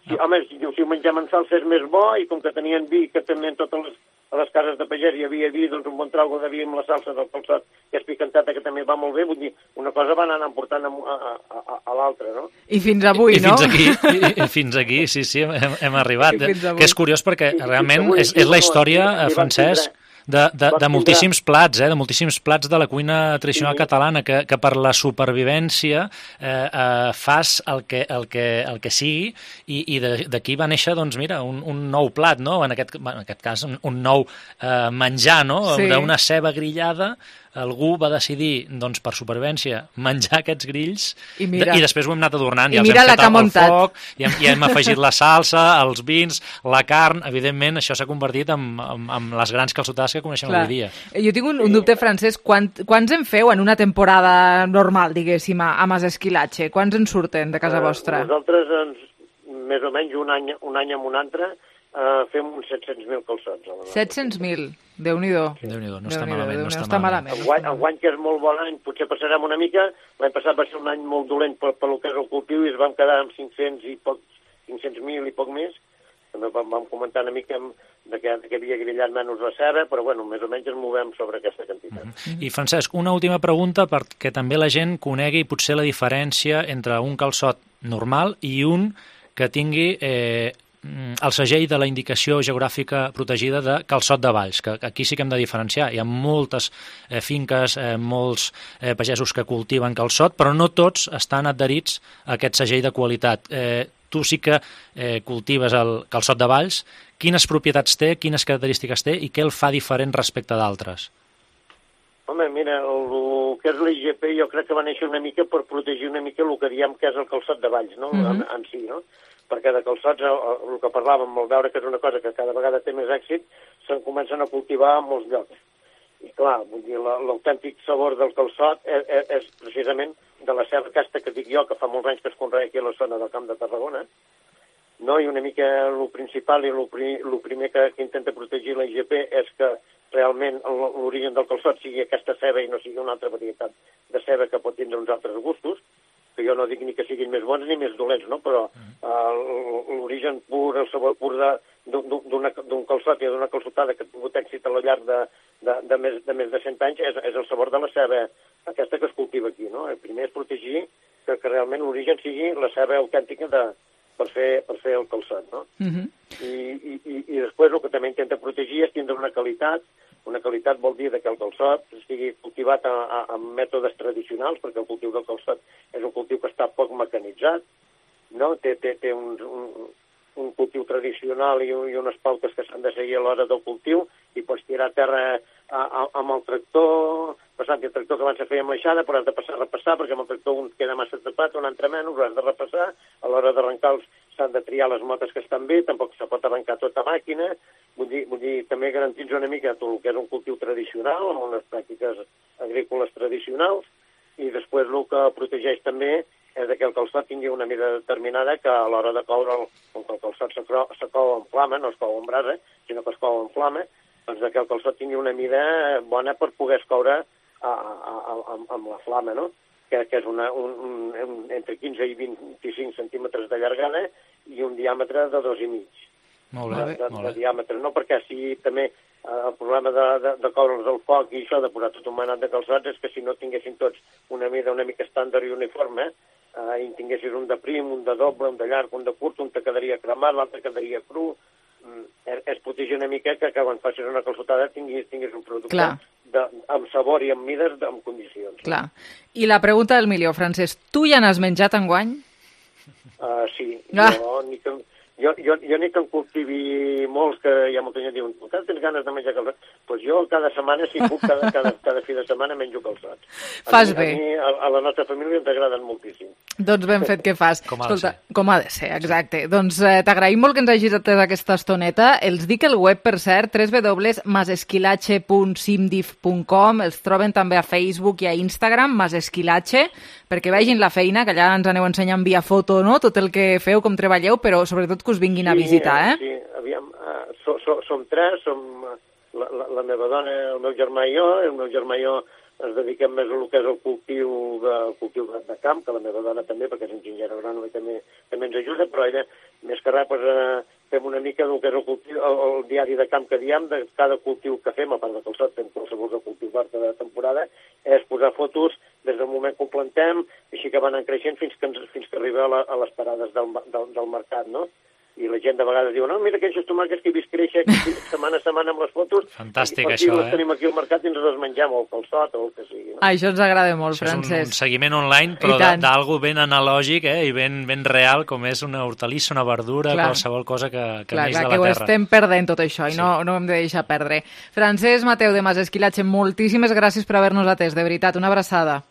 Sí, home, si, si ho mengem en salsa és més bo, i com que tenien vi, que també en totes les, a les cases de pagès hi havia vi, doncs un bon traugo de vi amb la salsa del calçot, que és picantata, que també va molt bé, vull dir, una cosa van anar portant a, a, a, a l'altra, no? I fins avui, I, no? I fins aquí, i, i fins aquí, sí, sí, hem, hem arribat. Que és curiós perquè I, realment avui, és, és la història, no, Francesc, de, de, de moltíssims plats, eh, de moltíssims plats de la cuina tradicional sí. catalana que, que per la supervivència eh, eh, fas el que, el que, el que sigui i, i d'aquí va néixer, doncs mira, un, un nou plat, no? En aquest, en aquest cas, un, un nou eh, menjar, no? Sí. D'una ceba grillada, algú va decidir, doncs, per supervivència, menjar aquests grills i, mira, i després ho hem anat adornant. I ja mira els hem la que ha muntat. Foc, i, hem, i hem afegit la salsa, els vins, la carn. Evidentment, això s'ha convertit en, en, en les grans calçotades que coneixem Clar. avui dia. Jo tinc un, un dubte, Francesc. Quant, quants en feu en una temporada normal, diguéssim, a, a Mas Esquilache? Quants en surten de casa vostra? Uh, nosaltres, ens, més o menys, un any, un any amb un altre, Uh, fem uns set-cents mil calçots. set-cents mil? Déu-n'hi-do. Déu-n'hi-do, no està malament. No està està malament. El guany, el guany que és molt bon any, potser passarem una mica. L'any passat va ser un any molt dolent per, per lo que és el cultiu i es vam quedar amb cinc-cents i poc, cinc-cents mil i poc més. També vam, vam comentar una mica de que, de que havia grillat menys la ceba, però bueno, més o menys ens movem sobre aquesta quantitat. Mm-hmm. I Francesc, una última pregunta perquè també la gent conegui potser la diferència entre un calçot normal i un que tingui eh, el segell de la indicació geogràfica protegida de calçot de Valls, que aquí sí que hem de diferenciar. Hi ha moltes eh, finques, eh, molts eh, pagesos que cultiven calçot, però no tots estan adherits a aquest segell de qualitat. Eh, tu sí que eh, cultives el calçot de Valls. Quines propietats té, quines característiques té i què el fa diferent respecte d'altres? Home, mira, el, el que és l'I G P jo crec que va néixer una mica per protegir una mica el que diem que és el calçot de Valls, no? Mm-hmm. en, en si, no? Perquè de calçots, el, el que parlàvem, al veure que és una cosa que cada vegada té més èxit, se'n comencen a cultivar a molts llocs. I clar, vull dir, l'autèntic sabor del calçot és, és, és precisament de la ceba aquesta que dic jo, que fa molts anys que es conrea aquí a la zona del Camp de Tarragona, no? I una mica el principal i el primer que, que intenta protegir la I G P és que realment l'origen del calçot sigui aquesta ceba i no sigui una altra varietat de ceba que pot tindre uns altres gustos, que jo no dic ni que siguin més bons ni més dolents, no? Però uh, l'origen pur, el sabor pur d'un calçot i d'una calçotada que ha tingut èxit a lo llarg de, de, de, més, de més de cent anys és, és el sabor de la ceba aquesta que es cultiva aquí, no? El primer és protegir que, que realment l'origen sigui la ceba autèntica de, per, fer, per fer el calçot, no? Mm-hmm. I, i, i, I després el que també intenta protegir és tindre una qualitat. Una qualitat vol dir que el calçot estigui cultivat a, a, amb mètodes tradicionals, perquè el cultiu del calçot és un cultiu que està poc mecanitzat, no? Té, té, té un, un, un cultiu tradicional i, i unes pautes que s'han de seguir a l'hora del cultiu i pots tirar a terra a, a, amb el tractor, passant el tractor que abans se feia amb l'aixada, però has de passar a repassar, perquè amb el tractor un queda massa tapat, un altre menys, ho has de repassar, a l'hora d'arrencar s'han de triar les motes que estan bé, tampoc se pot arrencar tota màquina, vull dir, vull dir també garantir una mica tot el que és un cultiu tradicional, amb unes pràctiques agrícoles tradicionals, i després el que protegeix també és que el calçot tingui una mida determinada que a l'hora de coure'l, com que el calçot se cou en flama, no es cou en brasa, sinó que es cou en flama, doncs que el calçot tingui una mida bona per poder escoure a, a, a, amb la flama, no? Que, que és una, un, un, un, entre quinze i vint-i-cinc centímetres de llargada i un diàmetre de dos i mig. Molt bé, de, de, molt bé. de diàmetre, no? Perquè si també eh, el problema de, de, de coure'ls al foc i això, de posar tot un manat de calçots, és que si no tinguessin tots una mida una mica estàndard i uniforme, eh, i tinguessis un de prim, un de doble, un de llarg, un de curt, un te quedaria cremat, l'altre quedaria cru, mm, és, és protegir una mica que, que quan facis una calçotada tinguis, tinguis un producte de, amb sabor i amb mides, de, amb condicions. Clar. I la pregunta del milió, Francesc, tu ja n'has menjat enguany? Uh, sí, ah. jo ni que... Jo, jo, jo ni que en cultivi molts, que hi ha molta gent que diuen, encara tens ganes de menjar calçots? Doncs pues jo cada setmana, si puc, cada, cada, cada fi de setmana menjo calçots. Fas a mi, bé. A mi, a, a la nostra família ens agraden moltíssim. Doncs ben fet que fas. Com ha Escolta, de ser. com ha de ser, exacte. Doncs eh, t'agraïm molt que ens hagis atès aquesta estoneta. Els dic el web, per cert, w w w punt masesquilache punt simdif punt com. Els troben també a Facebook i a Instagram, Masesquilache, perquè vegin la feina, que allà ens aneu ensenyant via foto, no?, tot el que feu, com treballeu, però sobretot que us vinguin sí, a visitar, eh? Sí, aviam, uh, so, so, som tres, som la, la, la meva dona, el meu germà i jo, el meu germà i jo ens dediquem més a el que és el cultiu de, el cultiu de, de camp, que la meva dona també, perquè és enginyera agrònoma i també, també ens ajuda, però ella, més que res, pues, eh, fem una mica del que és el, cultiu, el, el diari de camp que diem, de cada cultiu que fem, a part de calçot, fem qualsevol de cultiu d'horta de temporada, és posar fotos des del moment que ho plantem, així que van creixent fins que, ens, fins que arriba a, la, a les parades del, del, del mercat, no? I la gent de vegades diu, no, mira aquests tomàquets que he vist créixer setmana a setmana amb les fotos. Fantàstic, i, això, les eh? tenim aquí al mercat i ens les mengem, o el calçot, o el que sigui. No? Això ens agrada molt, Això Francesc. és un, un seguiment online, però d'algo ben analògic, eh? I ben, ben real, com és una hortalissa, una verdura, clar. Qualsevol cosa que, que clar, neix clar, de la terra. Clar, que ho estem perdent tot això, i sí. no, no ho hem de deixar perdre. Francesc Mateu de Masesquilache, moltíssimes gràcies per haver-nos atès, de veritat, una abraçada.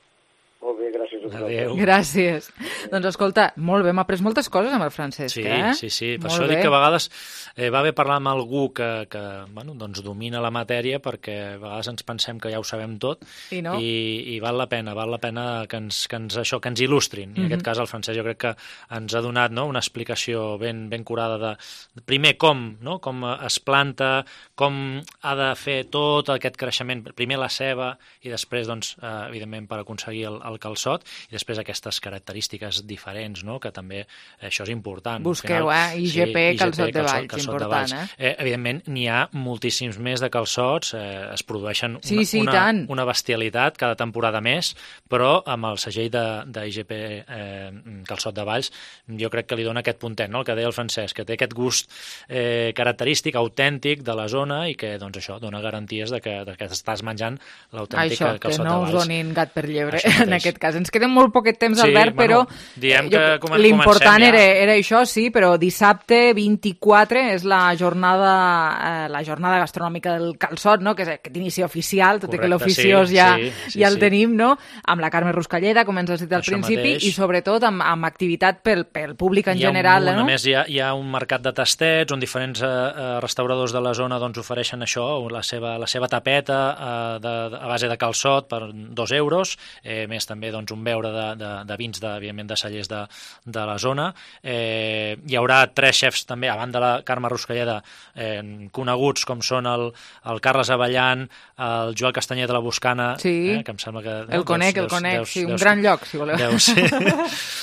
Molt bé, gràcies a Adéu. Gràcies. Doncs escolta, molt bé, hem après moltes coses amb el Francesc, sí, eh? Sí, sí, per molt això bé. dic que a vegades eh, va bé parlar amb algú que, que bueno, doncs domina la matèria, perquè a vegades ens pensem que ja ho sabem tot, I, no? i, i val la pena, val la pena que ens, que ens, això, que ens il·lustrin. I en mm-hmm. aquest cas el Francesc jo crec que ens ha donat, no?, una explicació ben, ben curada de, primer, com, no?, com es planta, com ha de fer tot aquest creixement, primer la ceba i després, doncs, eh, evidentment, per aconseguir el, el calçot, i després aquestes característiques diferents, no?, que també això és important. Busqueu, final, eh? I G P, sí, calçot, I G P, de Valls, calçot important, de Valls. eh? eh? Evidentment, n'hi ha moltíssims més de calçots, eh, es produeixen sí, una, sí, una, tant. una bestialitat cada temporada més, però amb el segell de, de I G P eh, calçot de Valls, jo crec que li dona aquest puntet, no?, el que deia el Francesc, que té aquest gust eh, característic, autèntic de la zona i que, doncs, això dona garanties de que, de que estàs menjant l'autèntic calçot de Valls. Això, que no us donin gat per llebre, en aquest cas. Ens queda molt poquet temps, sí, Albert, bueno, però diem que eh, comencem l'important ja. era, era això, sí, però dissabte vint-i-quatre és la jornada eh, la jornada gastronòmica del calçot, no?, que és aquest inici oficial, tot correcte, i que l'oficiós sí, ja, sí, sí, ja el sí. tenim, no?, amb la Carme Ruscalleda, com ens has dit al Això principi, mateix. i sobretot amb, amb activitat pel, pel públic en hi ha general. Un, no? A més, hi ha, hi ha un mercat de tastets on diferents eh, restauradors de la zona doncs, ofereixen això, la seva, la seva tapeta eh, de, de, a base de calçot per dos euros, eh, més també doncs, un beure de, de, de vins, de, evidentment, de cellers de, de la zona. Eh, hi haurà tres xefs també, a banda de la Carme Ruscalleda, eh, coneguts com són el, el Carles Avellan, el Joel Castanyer de la Buscana, sí. eh, que em sembla que... El no, conec, deus, el conec, deus, sí, un deus, gran lloc, si voleu. Deus,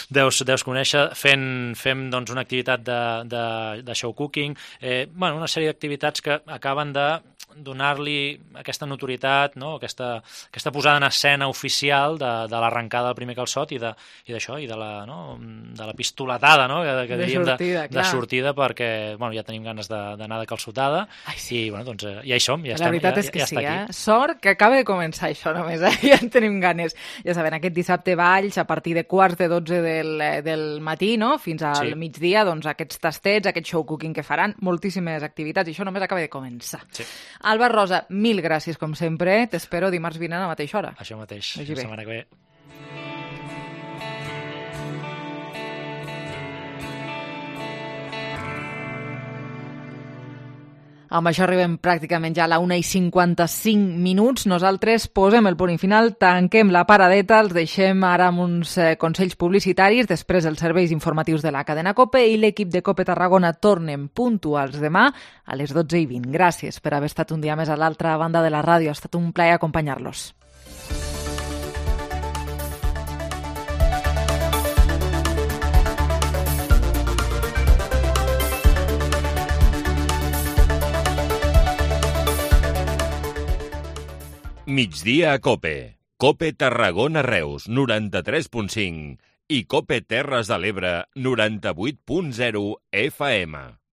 deus, deus conèixer, fent, fem doncs, una activitat de, de, de show cooking, eh, bueno, una sèrie d'activitats que acaben de donar-li aquesta notorietat, no? aquesta, aquesta posada en escena oficial de, de l'arrencada del primer calçot i d'això, i, i de la, no? de la pistoletada, no? que, que de diríem sortida, de, de sortida, perquè bueno, ja tenim ganes d'anar de, de calçotada. Ai, sí. I bueno, doncs, ja hi som, ja la estem. La veritat ja, és que ja sí, eh? Sort que acaba de començar això només, eh? Ja en tenim ganes. Ja saben, aquest dissabte Valls, a partir de quarts de dotze del, del matí, no?, fins al sí. migdia, doncs aquests tastets, aquest show cooking que faran, moltíssimes activitats, i això només acaba de començar. Sí. Alba Rosa, mil gràcies, com sempre. T'espero dimarts vinent a la mateixa hora. Això mateix, Vagi la bé. setmana que ve. Amb això arribem pràcticament ja a la una i cinquanta-cinc minuts. Nosaltres posem el punt i final, tanquem la paradeta, els deixem ara amb uns eh, consells publicitaris, després els serveis informatius de la cadena COPE i l'equip de COPE Tarragona tornen puntuals demà a les dotze i vint. Gràcies per haver estat un dia més a l'altra banda de la ràdio. Ha estat un plaer acompanyar-los. Migdia a COPE. COPE Tarragona Reus, noranta-tres punt cinc i COPE Terres de l'Ebre, noranta-vuit punt zero F M.